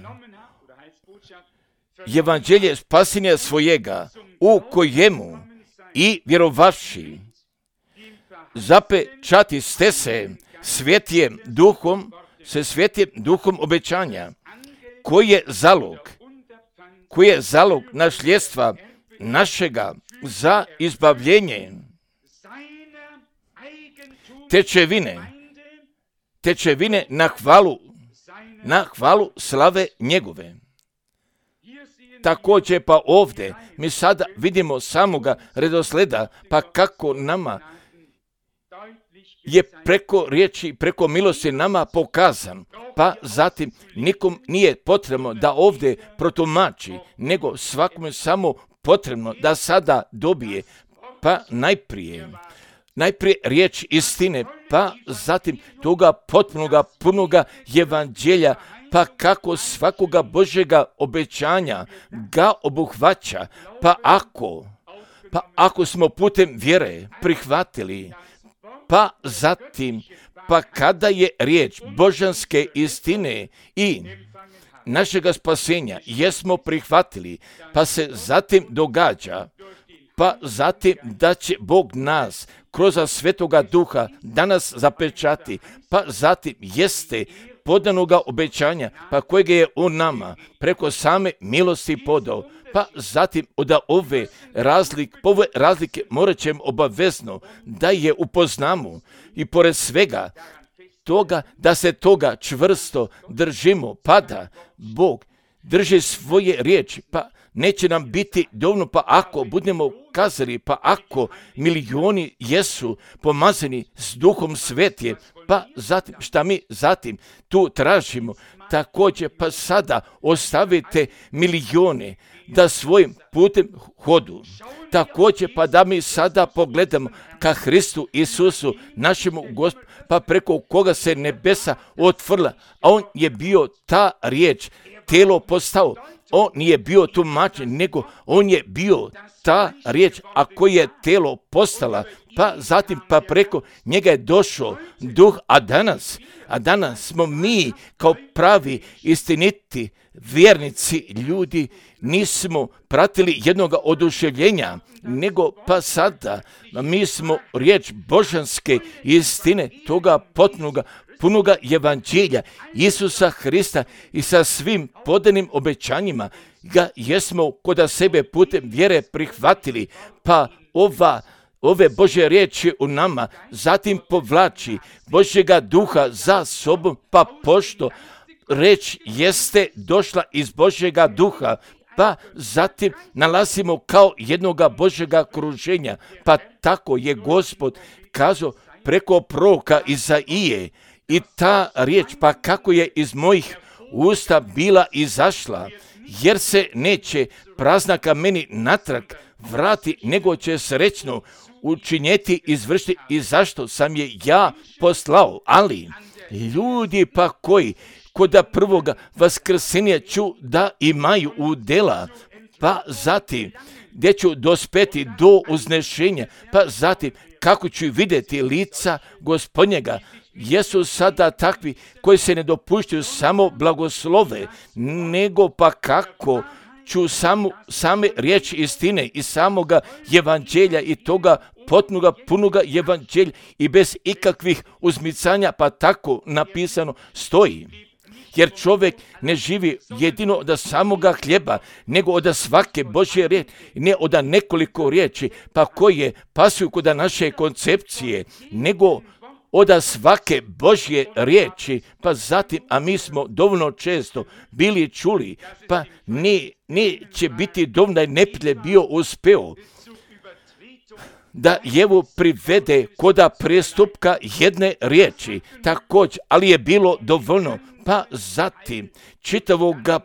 evanđelje spasenija svojega, u kojemu i vjerovavši zapečati ste se svetijem duhom, se svetijem duhom obećanja, koji je zalog, koji je zalog nasljedstva našega za izbavljenje, tečevine, tečevine na hvalu na hvalu slave njegove. Također pa ovdje mi sada vidimo samoga redosleda, pa kako nama je preko riječi, preko milosti nama pokazan, pa zatim nikom nije potrebno da ovdje protumači, nego svakome samo potrebno da sada dobije, pa najprije, najprije riječ istine, pa zatim toga potpunoga, punoga evanđelja, pa kako svakoga Božjega obećanja ga obuhvaća, pa ako, pa ako smo putem vjere prihvatili, pa zatim, pa kada je riječ božanske istine i našega spasenja jesmo prihvatili, pa se zatim događa, pa zatim da će Bog nas kroz Svetoga Duha danas zapečati, pa zatim jeste podanoga obećanja, pa kojeg je on nama preko same milosti podao, pa zatim od ove razlike, ove razlike morat ćemo obavezno da je upoznamo i pored svega toga da se toga čvrsto držimo, pa da Bog drži svoje riječi, pa neće nam biti dovoljno, pa ako budemo kazali, pa ako milioni jesu pomazani s Duhom Svetije, pa zatim, šta mi zatim tu tražimo, također pa sada ostavite milione da svojim putem hodu. Također pa da mi sada pogledamo ka Hristu Isusu, našemu Gospodu, pa preko koga se nebesa otvorila, a on je bio ta riječ, telo postao. On nije bio tumačen, nego on je bio ta riječ, a koji je telo postala, pa zatim pa preko njega je došao duh, a danas, a danas smo mi kao pravi istiniti vjernici ljudi, nismo pratili jednoga oduševljenja, nego pa sada mi smo riječ božanske istine, toga potpunoga, punoga evanđelja Isusa Hrista i sa svim podanim obećanjima ga jesmo kod sebe putem vjere prihvatili, pa ova ove Božje riječi u nama zatim povlači Božjega duha za sobom, pa pošto reč jeste došla iz Božjega duha, pa zatim nalazimo kao jednoga Božjega kruženja, pa tako je Gospod kazao preko proroka Izaije i ta riječ, pa kako je iz mojih usta bila izašla, jer se neće prazna ka meni natrag vrati, nego će srećno učinjeti, izvršiti i zašto sam je ja poslao. Ali ljudi pa koji kod prvoga vaskrsenja ću da imaju udjela, pa zatim gdje ću dospeti do uznešenja, pa zatim kako ću vidjeti lica Gospodnjega, jesu sada takvi koji se ne dopuštaju samo blagoslove, nego pa kako ću samo, same riječi istine i samoga evanđelja i toga potpunoga, punoga evanđelja i bez ikakvih uzmicanja, pa tako napisano stoji. Jer čovjek ne živi jedino od samoga hljeba, nego od svake Božje riječi, ne od nekoliko riječi, pa koje pasuju kod naše koncepcije, nego od svake Božje riječi, pa zatim, a mi smo dovoljno često bili čuli, pa ne, neće biti dovoljno da je neprijatelj bio uspeo da jevu privede koda prestupka jedne riječi, također, ali je bilo dovoljno, pa zatim čitavoga,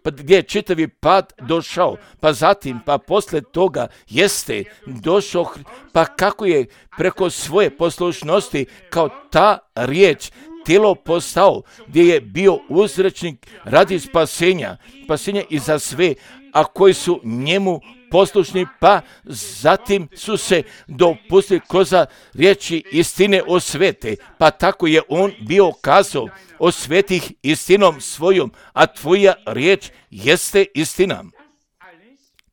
pa gdje je čitavi pad došao, pa zatim, pa poslije toga jeste došao, pa kako je preko svoje poslušnosti kao ta riječ tijelo postao, gdje je bio uzročnik radi spasenja, spasenja i za sve, a koji su njemu poslušni, pa zatim su se dopustili kroz riječi istine osvete, pa tako je on bio kazao, osvetih istinom svojom, a tvoja riječ jeste istina.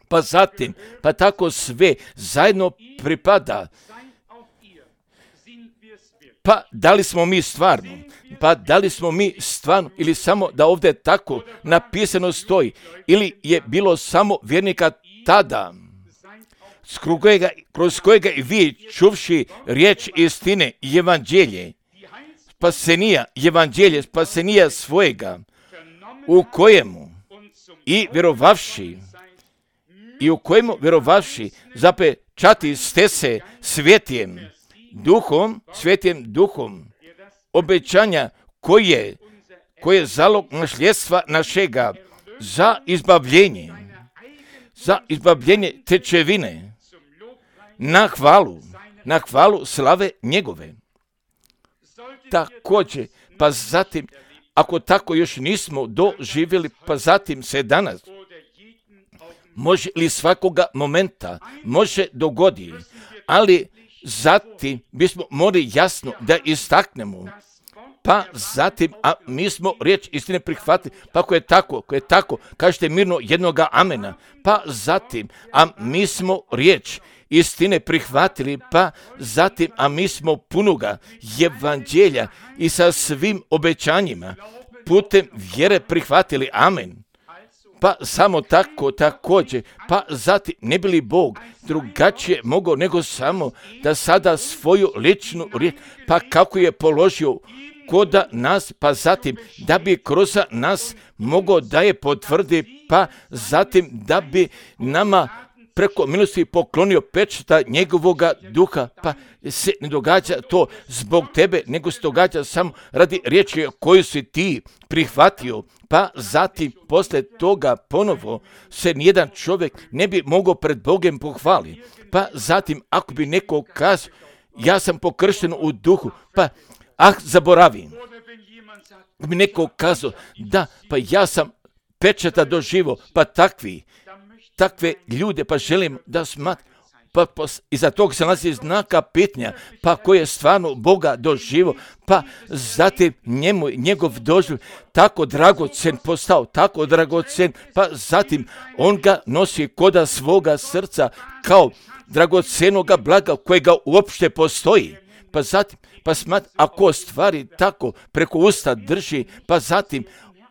Pa zatim, pa tako sve zajedno pripada. Pa da li smo mi stvarno? Pa da li smo mi stvarno ili samo da ovdje tako napisano stoji, ili je bilo samo vjernika tada, kojega, kroz kojega i vi čuvši riječ istine i evanđelje, spasenija, evanđelje, spasenija svojega, u kojemu i vjerovavši, i u kojemu vjerovavši zapečati ste se svjetjem duhom, svjetjem duhom obećanja koje, koje je zalog nasljedstva našega za izbavljenje, za izbavljenje tečevine, na hvalu, na hvalu slave njegove. Također, pa zatim, ako tako još nismo doživjeli, pa zatim se danas, može li svakoga momenta, može dogodi, ali zatim bismo morali jasno da istaknemo, pa zatim, a mi smo riječ istine prihvatili, pa ako je tako, ako je tako, kažete mirno jednoga amena, pa zatim, a mi smo riječ istine prihvatili, pa zatim, a mi smo punoga evanđelja i sa svim obećanjima putem vjere prihvatili, amen. Pa samo tako također, pa zatim ne bi li Bog drugačije mogao nego samo da sada svoju ličnu riječ, pa kako je položio kod nas, pa zatim da bi kroz nas mogao da je potvrdi, pa zatim da bi nama preko milosti poklonio pečata njegovoga duha, pa se ne događa to zbog tebe, nego se događa samo radi riječi koju si ti prihvatio, pa zatim posle toga ponovo se nijedan čovjek ne bi mogao pred Bogom pohvaliti. Pa zatim ako bi neko kazao, ja sam pokršten u duhu, pa ah, zaboravim. Ako bi neko kazao, da, pa ja sam pečata doživo, pa takvi, takve ljude, pa želim da smatram, pa pos, iza tog se nalazi znaka pitanja, pa ko je stvarno Boga doživo, pa zatim njemu, njegov doživ tako dragocen postao, tako dragocen, pa zatim on ga nosi koda svoga srca kao dragocenoga blaga kojega uopšte postoji. Pa zatim, pa smat, ako stvari tako preko usta drži, pa zatim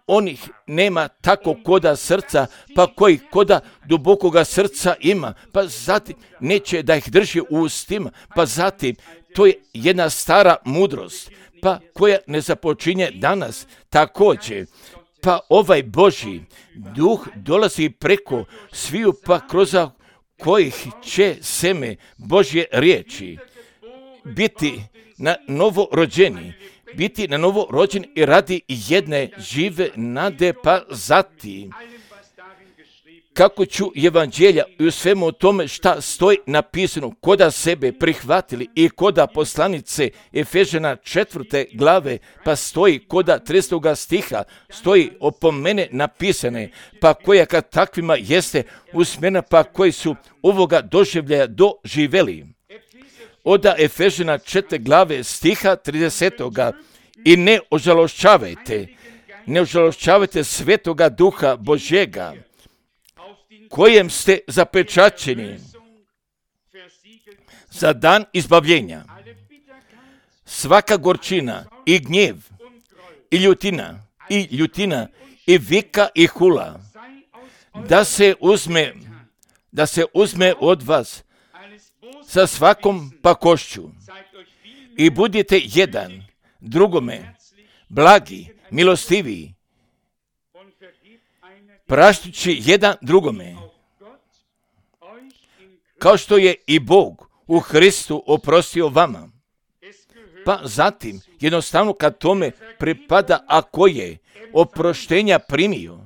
onih nema tako koda srca, pa koji koda dubokoga srca ima, pa zatim neće da ih drži u ustima, pa zatim to je jedna stara mudrost, pa koja ne započinje danas također. Pa ovaj Božji duh dolazi preko sviju, pa kroz kojih će seme Božje riječi biti na novo rođeni, biti na novo rođen i radi jedne žive nade, pa zatim kako ću evanđelja i u svemu tome šta stoji napisano, koda sebe prihvatili i koda poslanice Efežana četvrte glave, pa stoji koda tridesetog stiha, stoji opomene napisane, pa koja kad takvima jeste usmjerena, pa koji su ovoga doživljaja doživjeli. Oda Efežana četvrte glave stiha tridesetoga i ne ožalošćavajte, ne ožalošćavajte svetoga duha Božjega, kojem ste zapečaćeni za dan izbavljenja. Svaka gorčina i gnjev i ljutina i ljutina i vika i hula da se uzme, da se uzme od vas sa svakom pakošću i budite jedan drugome blagi, milostiviji, praštući jedan drugome, kao što je i Bog u Hristu oprostio vama. Pa zatim, jednostavno kad tome pripada, ako je oproštenja primio,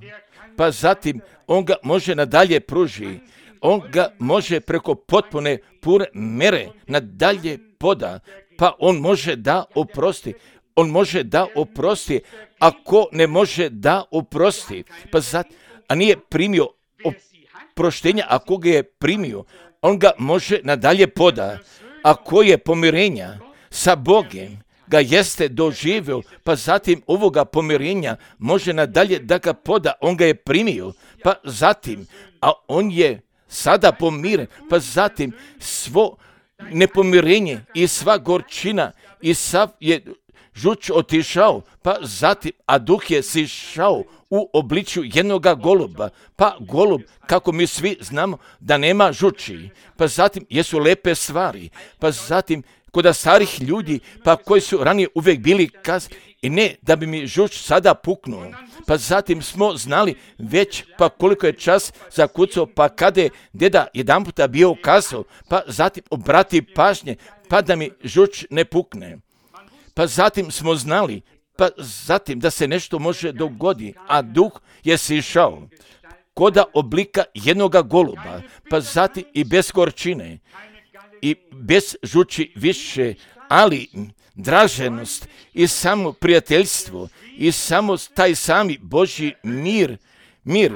pa zatim on ga može nadalje pruži, on ga može preko potpune pure mere nadalje poda, pa on može da oprosti. On može da oprosti, ako ne može da oprosti, pa zatim, a nije primio oproštenja, ako ga je primio, on ga može nadalje poda. Ako je pomirenja sa Bogom ga jeste doživio, pa zatim ovoga pomirenja može nadalje da ga poda, on ga je primio, pa zatim, a on je sada pomiren, pa zatim svo nepomirenje i sva gorčina i sav je žuč otišao, pa zatim, a duh je sišao u obličju jednoga goluba, pa golub, kako mi svi znamo, da nema žuči, pa zatim jesu lepe stvari, pa zatim kod starih ljudi, pa koji su ranije uvijek bili kas, i ne da bi mi žuč sada puknuo. Pa zatim smo znali već pa koliko je čas zakucao, pa kada je deda jedan puta bio kazao, pa zatim obrati pažnje, pa da mi žuč ne pukne. Pa zatim smo znali, pa zatim da se nešto može dogoditi, a duh je sišao koda oblika jednoga goluba, pa zatim i bez gorčine i bez žuči više, ali draženost i samo prijateljstvo i samo taj sami Božji mir, mir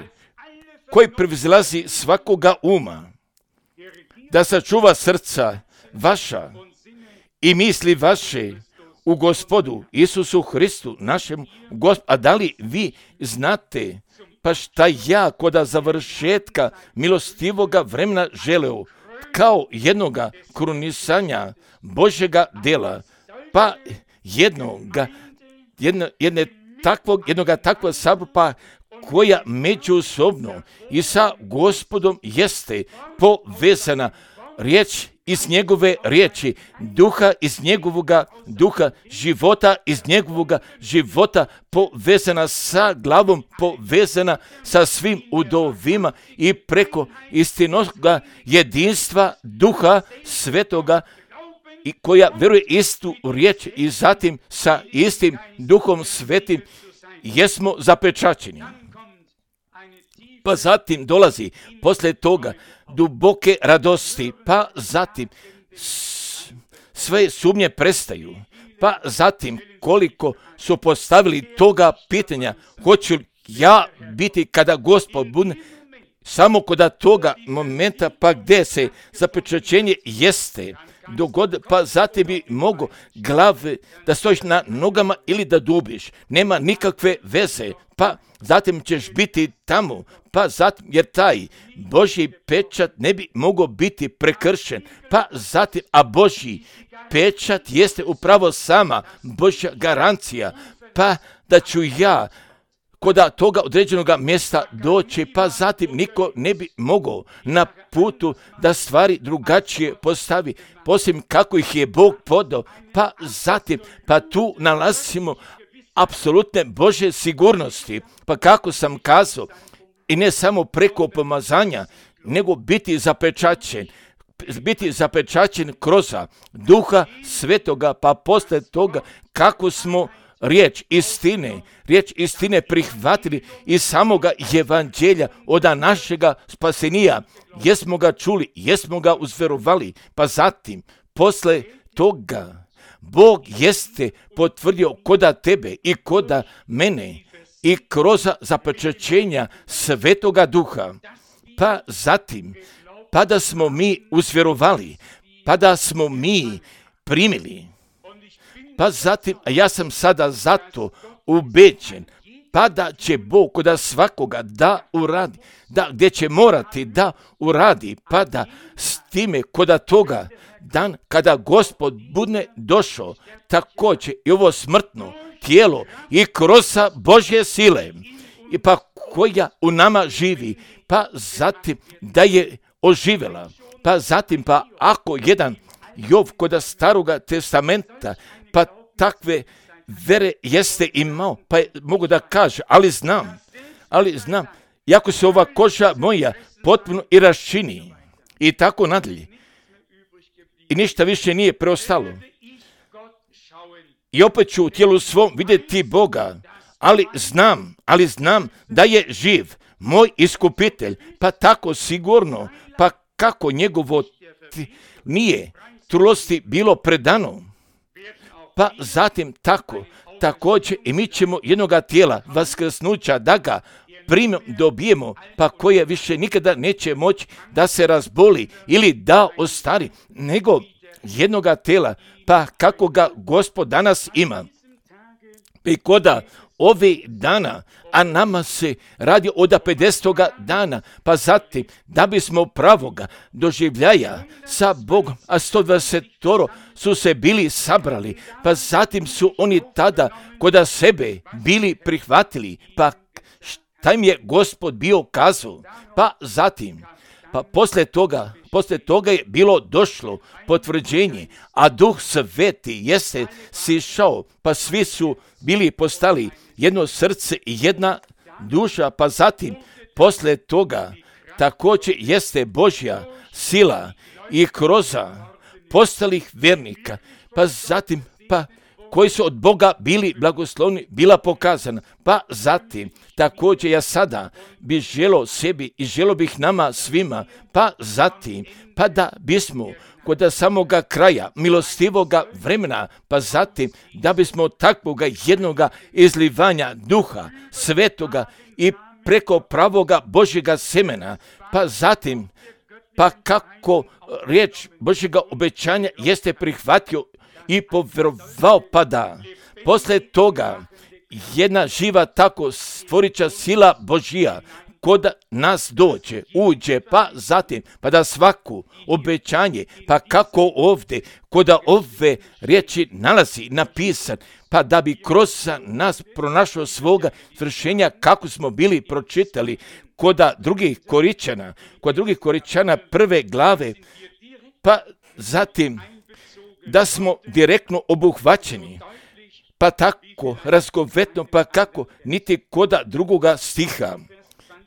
koji prevzlazi svakoga uma, da sačuva srca vaša i misli vaše u Gospodu Isusu Hristu, našem Gospodu. A da li vi znate, pa šta ja koda završetka milostivoga vremena želeo, kao jednoga krunisanja Božjega dela, pa jednoga, jedno, jedne takvog, jednoga takvog sabora koja međusobno i sa Gospodom jeste povezana, riječ iz njegove riječi, duha iz njegovoga duha, života iz njegovoga života, povezana sa glavom, povezana sa svim udovima i preko istinoga jedinstva duha svetoga, i koja vjeruje istu riječ i zatim sa istim duhom svetim jesmo zapečaćeni. Pa zatim dolazi poslije toga duboke radosti, pa zatim sve sumnje prestaju, pa zatim koliko su postavili toga pitanja, hoću li ja biti kada Gospod bude, samo kod toga momenta, pa gdje se zapečaćenje jeste dogod, pa zatim bi mogo glave da stojiš na nogama ili da dubiš, nema nikakve veze, pa zatim ćeš biti tamo, pa zatim, jer taj Božji pečat ne bi mogao biti prekršen, pa zatim, a Božji pečat jeste upravo sama Božja garancija, pa da ću ja kod toga određenog mjesta doći, pa zatim niko ne bi mogao na putu da stvari drugačije postavi, posljedno kako ih je Bog podao, pa zatim, pa tu nalazimo apsolutne Božje sigurnosti, pa kako sam kazao, i ne samo preko pomazanja, nego biti zapečaćen, biti zapečaćen kroz duha svetoga, pa poslije toga kako smo riječ istine, riječ istine prihvatili iz samoga evanđelja od našega spasenija, jesmo ga čuli, jesmo ga uzverovali, pa zatim, posle toga, Bog jeste potvrdio koda tebe i koda mene i kroz zapečaćenja svetoga duha, pa zatim, pa da smo mi uzverovali, pa da smo mi primili, pa zatim, a ja sam sada zato ubeđen, pa da će Bog koda svakoga da uradi, da gdje će morati da uradi, pa da s time koda toga dan kada Gospod bude došao, također i ovo smrtno tijelo i kroz Božje sile, i pa koja u nama živi, pa zatim da je oživjela, pa zatim pa ako jedan Jov koda staroga testamenta, pa takve vere jeste imao, pa je, mogu da kaže, ali znam, ali znam, jako se ova koža moja potpuno i raščini i tako nadalje. I ništa više nije preostalo. I opet ću u tijelu svom vidjeti Boga, ali znam, ali znam da je živ, moj iskupitelj, pa tako sigurno, pa kako njegovo nije trulosti bilo predano, pa zatim tako, također i mi ćemo jednoga tijela vaskrsnuća da ga primom dobijemo, pa koje više nikada neće moći da se razboli ili da ostari, nego jednoga tijela, pa kako ga Gospod danas ima. I koda ove dana, a nama se radi od pedesetoga dana, pa zatim da bismo pravoga doživljaja sa Bogom, a sto dvadeset su se bili sabrali, pa zatim su oni tada koda sebe bili prihvatili, pa šta im je Gospod bio kazao, pa zatim, Pa poslije toga, poslije toga je bilo došlo potvrđenje, a Duh Sveti jeste sišao, pa svi su bili postali jedno srce i jedna duša, pa zatim poslije toga također jeste Božja sila i kroz postalih vjernika, pa zatim pa koji su od Boga bili blagoslovni, bila pokazana. Pa zatim, također ja sada bih želio sebi i želio bih nama svima, pa zatim, pa da bismo kod samoga kraja milostivoga vremena, pa zatim da bismo takvoga jednoga izlivanja Duha Svetoga i preko pravoga Božjega semena, pa zatim, pa kako riječ Božjega obećanja jeste prihvatio i povjerovao, pa da poslije toga jedna živa tako stvorića sila Božja kod nas dođe, uđe, pa zatim, pa da svaku obećanje, pa kako ovdje, kod ove riječi nalazi napisan, pa da bi kroz nas pronašao svoga svršenja kako smo bili pročitali kod drugih Koričana, kod drugih Koričana prve glave, pa zatim da smo direktno obuhvaćeni, pa tako razgovetno, pa kako niti koda drugoga stiha.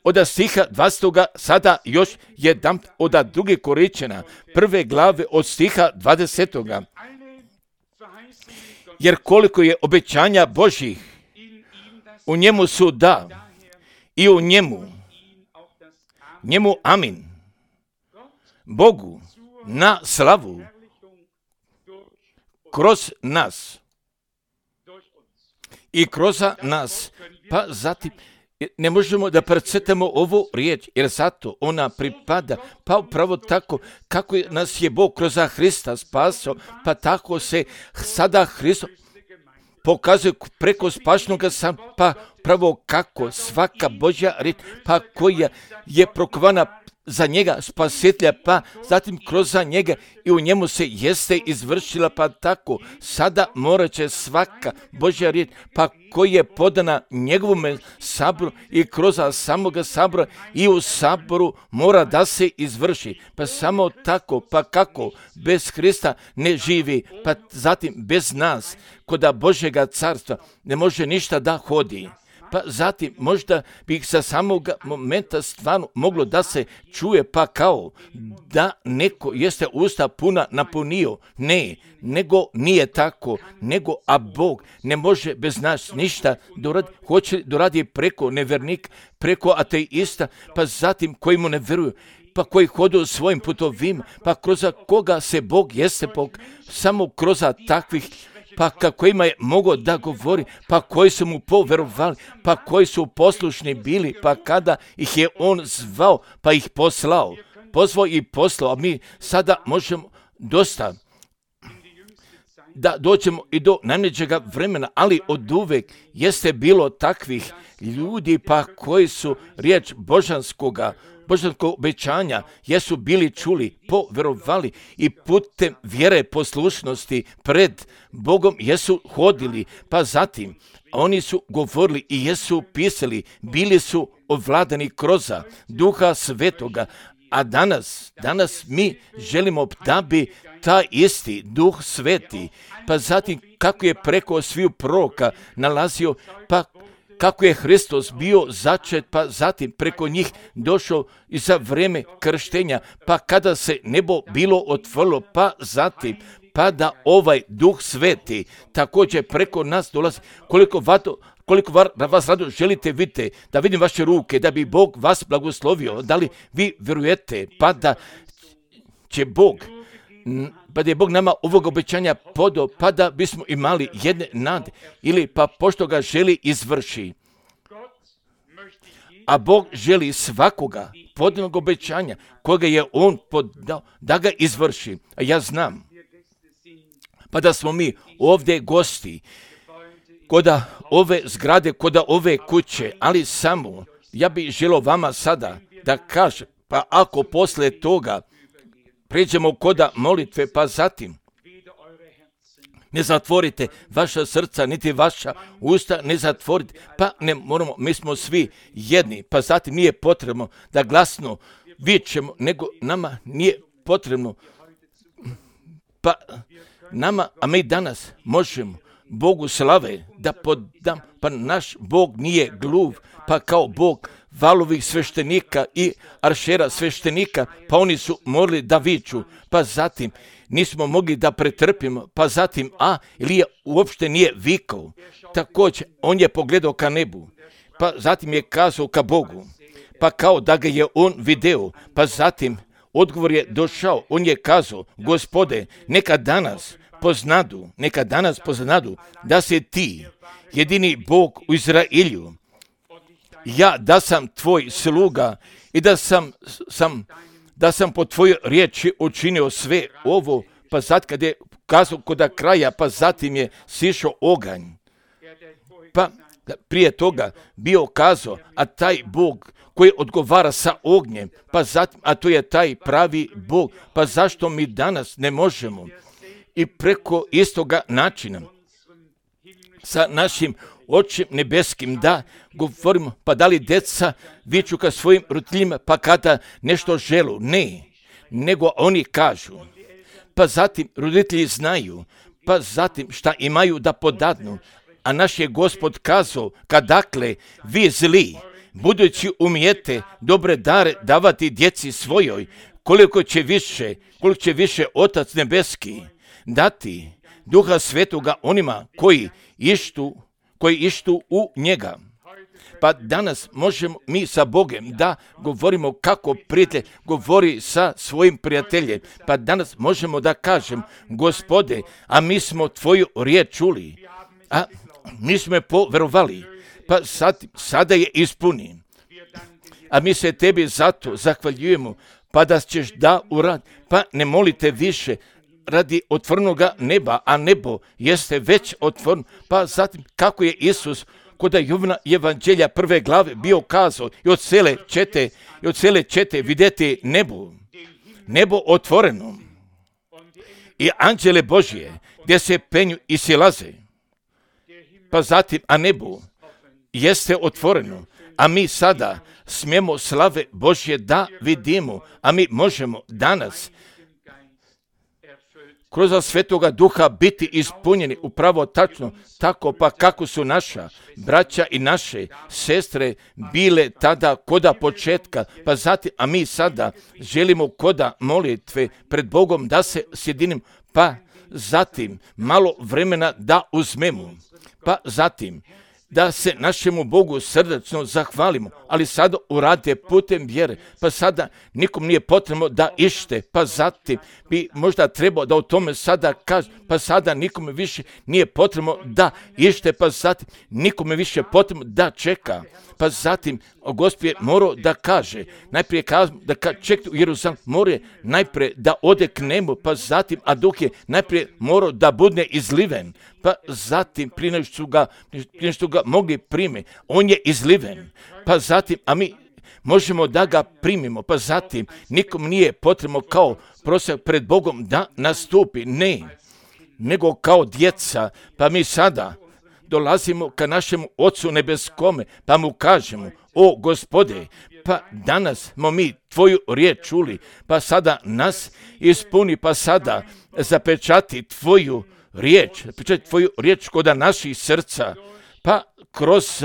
Od stiha dvadesetoga sada još jedan od drugih Koričana, prve glave od stiha dvadesetoga. Jer koliko je obećanja Božjih, u njemu su da i u njemu, njemu amin. Bogu na slavu kroz nas i kroz nas, pa zatim ne možemo da precetamo ovu riječ, jer zato ona pripada, pa upravo tako kako nas je Bog kroz Hrista spasao, pa tako se sada Hristo pokazuje preko spašnoga sam, pa pravo kako svaka Božja riječ, pa koja je prokovana za njega spasitelja, pa zatim kroz njega i u njemu se jeste izvršila, pa tako sada morat će svaka Božja riječ, pa koja je podana njegovom saboru i kroz samoga sabora i u saboru mora da se izvrši, pa samo tako, pa kako bez Hrista ne živi, pa zatim bez nas kod Božjega carstva ne može ništa da hodi. Pa zatim možda bi sa samog momenta stvarno moglo da se čuje, pa kao da neko jeste usta puna napunio. Ne, nego nije tako, nego a Bog ne može bez nas ništa doradi, hoće doradi preko nevernika, preko ateista, pa zatim koji mu ne vjeruju, pa koji hodu svojim putovima, pa kroz koga se Bog jeste Bog, samo kroz takvih, pa kojima je mogao da govori, pa koji su mu poverovali, pa koji su poslušni bili, pa kada ih je on zvao, pa ih poslao, pozvao i poslao, a mi sada možemo dosta da dođemo i do najmlađega vremena, ali od uvek jeste bilo takvih ljudi, pa koji su riječ božanskoga, božanskog obećanja, jesu bili čuli, poverovali i putem vjere poslušnosti pred Bogom jesu hodili, pa zatim oni su govorili i jesu pisali, bili su ovladani kroz Duha Svetoga, a danas, danas mi želimo da bi taj isti Duh Sveti, pa zatim kako je preko sviju proroka nalazio, pa kako je Hristos bio začet, pa zatim preko njih došao i za vrijeme krštenja, pa kada se nebo bilo otvorilo, pa zatim, pa da ovaj Duh Sveti također preko nas dolazi. Koliko vato, koliko var, vas rado želite vidite, da vidim vaše ruke, da bi Bog vas blagoslovio, da li vi vjerujete, pa da će Bog, pa da je Bog nama ovog obećanja podao, pa da bismo imali jedne nade, ili pa pošto ga želi izvrši. A Bog želi svakoga podanog obećanja koga je on podao da ga izvrši. A ja znam, pa da smo mi ovdje gosti, koda ove zgrade, koda ove kuće, ali samo ja bih želio vama sada da kažem, pa ako poslije toga pređemo koda molitve, pa zatim ne zatvorite vaša srca, niti vaša usta, ne zatvorite, pa ne moramo, mi smo svi jedni, pa zatim nije potrebno da glasno vičemo, nego nama nije potrebno. Pa nama, a mi danas možemo Bogu slave da podam, pa naš Bog nije gluv, pa kao Bog valovih sveštenika i aršera sveštenika, pa oni su morali da viču, pa zatim nismo mogli da pretrpimo, pa zatim, a Ilija uopšte nije vikao. Također, on je pogledao ka nebu, pa zatim je kazao ka Bogu, pa kao da ga je on video, pa zatim odgovor je došao, on je kazao, Gospode, neka danas poznadu, neka danas poznadu da se ti, jedini Bog u Izraelju, ja da sam tvoj sluga i da sam, sam, da sam po tvojoj riječi učinio sve ovo, pa sad kad je kazao kod kraja, pa zatim je sišao oganj. Pa prije toga bio kazao, a taj Bog koji odgovara sa ognjem, pa zatim, a to je taj pravi Bog, pa zašto mi danas ne možemo i preko istoga načina sa našim Očem nebeskim da govorimo, pa da li deca viču ka svojim roditeljima, pa kada nešto želu? Ne, nego oni kažu, pa zatim roditelji znaju, pa zatim šta imaju da podadnu, a naš je Gospod kazao, kadakle vi zli, budući umijete dobre dare davati djeci svojoj, koliko će više, koliko će više Otac nebeski dati Duha Svetoga onima koji ištu, koji ištu u njega. Pa danas možemo mi sa Bogom da govorimo kako prijatelj govori sa svojim prijateljem. Pa danas možemo da kažem, Gospode, a mi smo tvoju riječ čuli, a mi smo je poverovali, pa sad, sada je ispuni. A mi se tebi zato zahvaljujemo, pa da ćeš da urad, pa ne molite više radi otvornoga neba, a nebo jeste već otvorno, pa zatim kako je Isus kod Jovana evanđelja prve glave bio kazao i od cele čete, i od cele čete vidjeti nebo, nebo otvoreno i anđele Božje gdje se penju i silaze, pa zatim, a nebo jeste otvoreno, a mi sada smijemo slave Božje da vidimo, a mi možemo danas kroz Svetoga Duha biti ispunjeni upravo tačno tako, pa kako su naša braća i naše sestre bile tada koda početka, pa zatim, a mi sada želimo koda molitve pred Bogom da se sjedinim, pa zatim malo vremena da uzmemo, pa zatim da se našemu Bogu srdačno zahvalimo, ali sada urade putem vjere, pa sada nikom nije potrebno da ište, pa zatim bi možda trebao da o tome sada kaže, pa sada nikome više nije potrebno da ište, pa zatim nikome više potrebno da čeka, pa zatim Gospod je morao da kaže, najprije kaže da čeka u Jeruzalem, mora najprije da ode k nebu, pa zatim, a duh je najprije morao da bude izliven, pa zatim prije nego što ga, prije što ga mogli prime, on je izliven, pa zatim, a mi možemo da ga primimo, pa zatim nikom nije potrebno kao prosak pred Bogom da nastupi, ne, nego kao djeca, pa mi sada dolazimo ka našemu Ocu nebeskome, pa mu kažemo, o Gospode, pa danas smo mi tvoju riječ čuli, pa sada nas ispuni, pa sada zapečati tvoju riječ, zapečati tvoju riječ kod naših srca, pa kroz,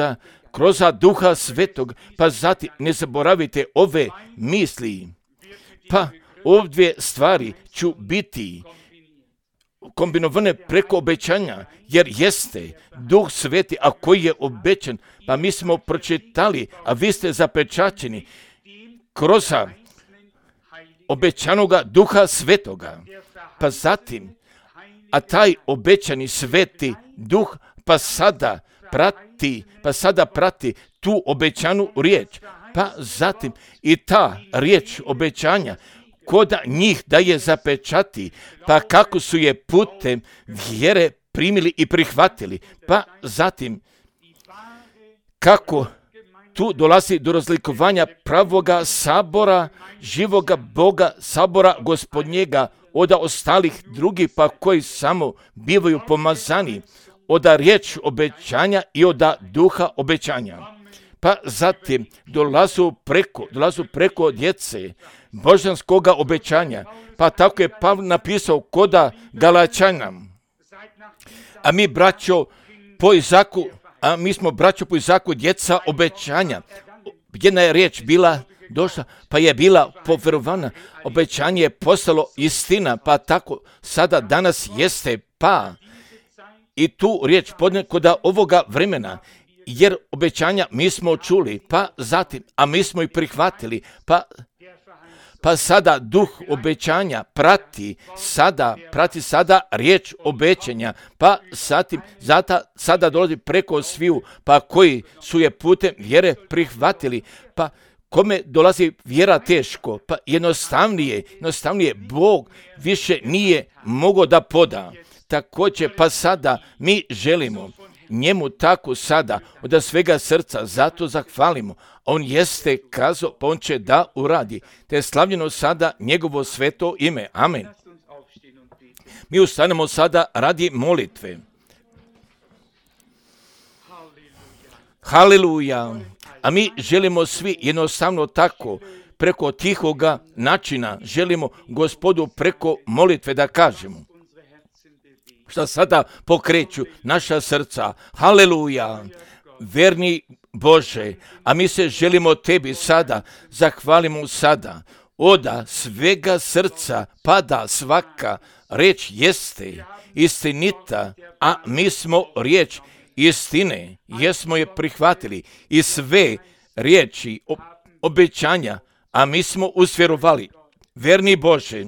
kroz Duha Svetog, pa zatim ne zaboravite ove misli, pa ovdje stvari ću biti kombinovane preko obećanja, jer jeste Duh Sveti, a koji je obećan, pa mi smo pročitali, a vi ste zapečaćeni kroz obećanoga Duha Svetoga, pa zatim, a taj obećani Sveti Duh, pa sada prati, pa sada prati tu obećanu riječ, pa zatim i ta riječ obećanja kod njih da je zapečati, pa kako su je putem vjere primili i prihvatili, pa zatim kako tu dolazi do razlikovanja pravoga sabora, živoga Boga, sabora Gospodnjega, od ostalih drugih, pa koji samo bivaju pomazani, od riječ obećanja i od duha obećanja. pa zatim dolazu preko, dolazu preko djece božanskoga obećanja. Pa tako je Pavle napisao koda Galačana. A mi, braćo, po Izaku, a mi smo, braćo, po Izaku djeca obećanja. Jedna je riječ bila došla, pa je bila poverovana. Obećanje je postalo istina, pa tako sada danas jeste, pa i tu riječ podnekoda ovoga vremena, jer obećanja mi smo čuli, pa zatim, a mi smo ih prihvatili, pa Pa sada duh obećanja prati sada, prati sada riječ obećanja, pa zatim, zata, sada dolazi preko sviju, pa koji su je putem vjere prihvatili, pa kome dolazi vjera teško, pa jednostavnije, jednostavnije Bog više nije mogao da poda. Također, pa sada mi želimo njemu tako sada od svega srca, zato zahvalimo. On jeste kazao, pa on će da uradi. Te je slavljeno sada njegovo sveto ime. Amen. Mi ustanemo sada radi molitve. Haleluja. A mi želimo svi jednostavno tako, preko tihoga načina, želimo Gospodu preko molitve da kažemo šta sada pokreću naša srca. Haleluja. Verni Bože, a mi se želimo tebi sada, zahvalimo sada, oda svega srca pada svaka reč jeste istinita, a mi smo riječ istine, jesmo je prihvatili i sve riječi obećanja, a mi smo usvjerovali. Verni Bože,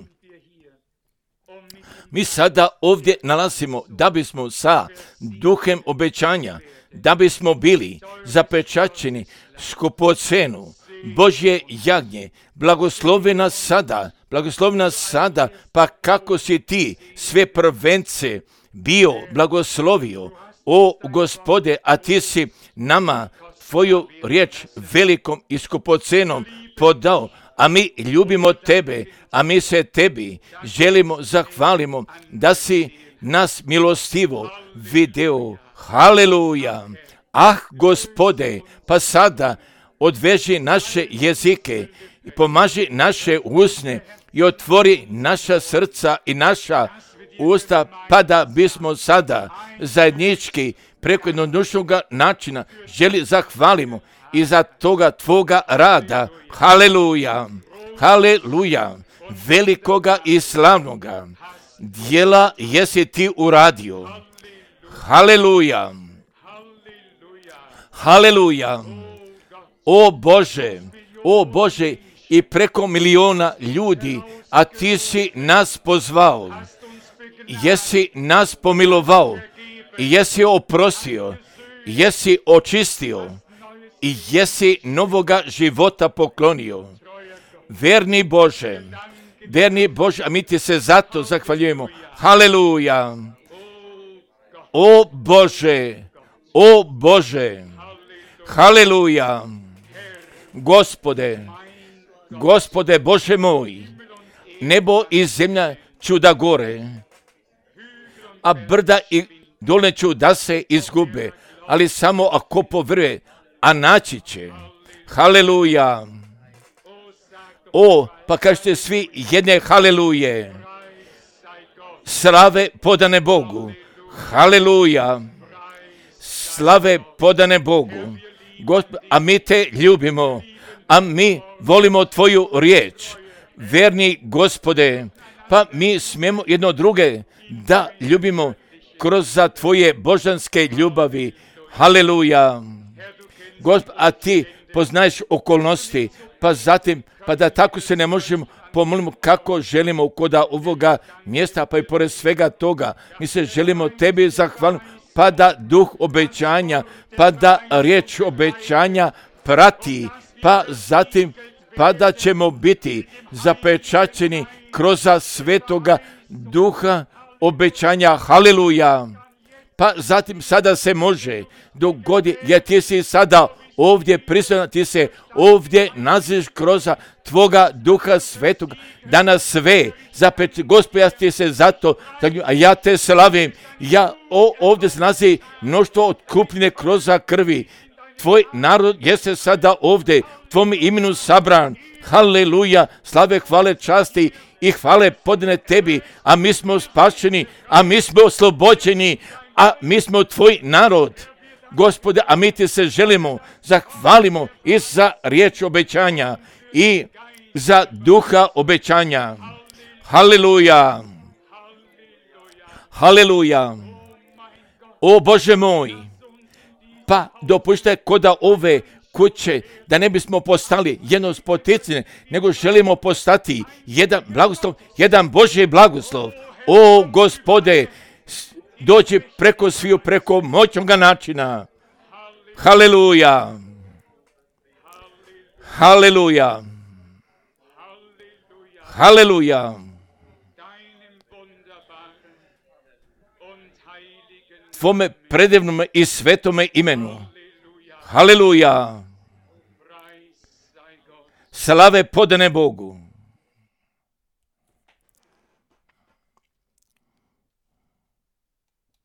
mi sada ovdje nalazimo da bismo sa duhem obećanja, da bismo bili zapečaćeni skupocenu Božje jagnje. Blagoslovi nas sada, blagoslovi nas sada, pa kako si ti sve prvence bio blagoslovio, o Gospode, a ti si nama tvoju riječ velikom i skupocenom podao, a mi ljubimo tebe, a mi se tebi želimo zahvalimo da si nas milostivo video. Haleluja. Ah, Gospode, pa sada odveži naše jezike i pomaži naše usne i otvori naša srca i naša usta, pa da bismo sada zajednički preko jednodušnog načina želi zahvalimo i za toga tvoga rada. Haleluja. Haleluja. Velikoga i slavnoga djela jesi ti uradio. Haleluja. Haleluja. O Bože, o Bože, i preko miliona ljudi, a ti si nas pozvao, jesi nas pomilovao, i jesi oprostio, jesi očistio, i jesi novoga života poklonio. Verni Bože, verni Bože, a mi ti se zato zahvaljujemo. Haleluja. O Bože, o Bože, haleluja. Gospode, Gospode Bože moj, nebo i zemlja ću da gore, a brda i dole ću da se izgube, ali samo ako povrve, a naći će. Haleluja. O, pa kažete svi jedne haleluje. Slave podane Bogu. Haleluja. Slave podane Bogu. Gospod, a mi te ljubimo, a mi volimo tvoju riječ. Verni Gospode, pa mi smijemo jedno druge da ljubimo kroz za tvoje božanske ljubavi. Haleluja. Gospod, a ti poznaješ okolnosti, pa zatim, pa da tako se ne možemo pomolimo kako želimo koda ovoga mjesta, pa i pored svega toga, mi se želimo tebi zahvaliti, pa da duh obećanja, pa da riječ obećanja prati, pa zatim, pa da ćemo biti zapečaćeni kroz svetoga duha obećanja. Haleluja. Pa zatim sada se može dogodi, jer ti si sada ovdje prisutan, ti se ovdje naziš kroz tvoga duha svetog, da nas sve zapeći. Gospod, ja ti se zato, a ja te slavim, ja o, ovdje se nazi mnoštvo otkupljene kroz krvi, tvoj narod jeste sada ovdje, u tvom imenu sabran. Haleluja, slave, hvale, časti i hvale podne tebi, a mi smo spašeni, a mi smo oslobođeni, a mi smo tvoj narod. Gospode, a mi ti se želimo, zahvalimo i za riječ obećanja i za duha obećanja. Haleluja, haleluja. O Bože moj, pa dopuštaj koda ove kuće, da ne bismo postali jedno spoticanje, nego želimo postati jedan blagoslov, jedan Božji blagoslov. O Gospode, dođi preko sviju, preko moćnoga načina. Haleluja, haleluja, haleluja. Tvome predivnome i svetome imenu. Haleluja. Slave podane Bogu.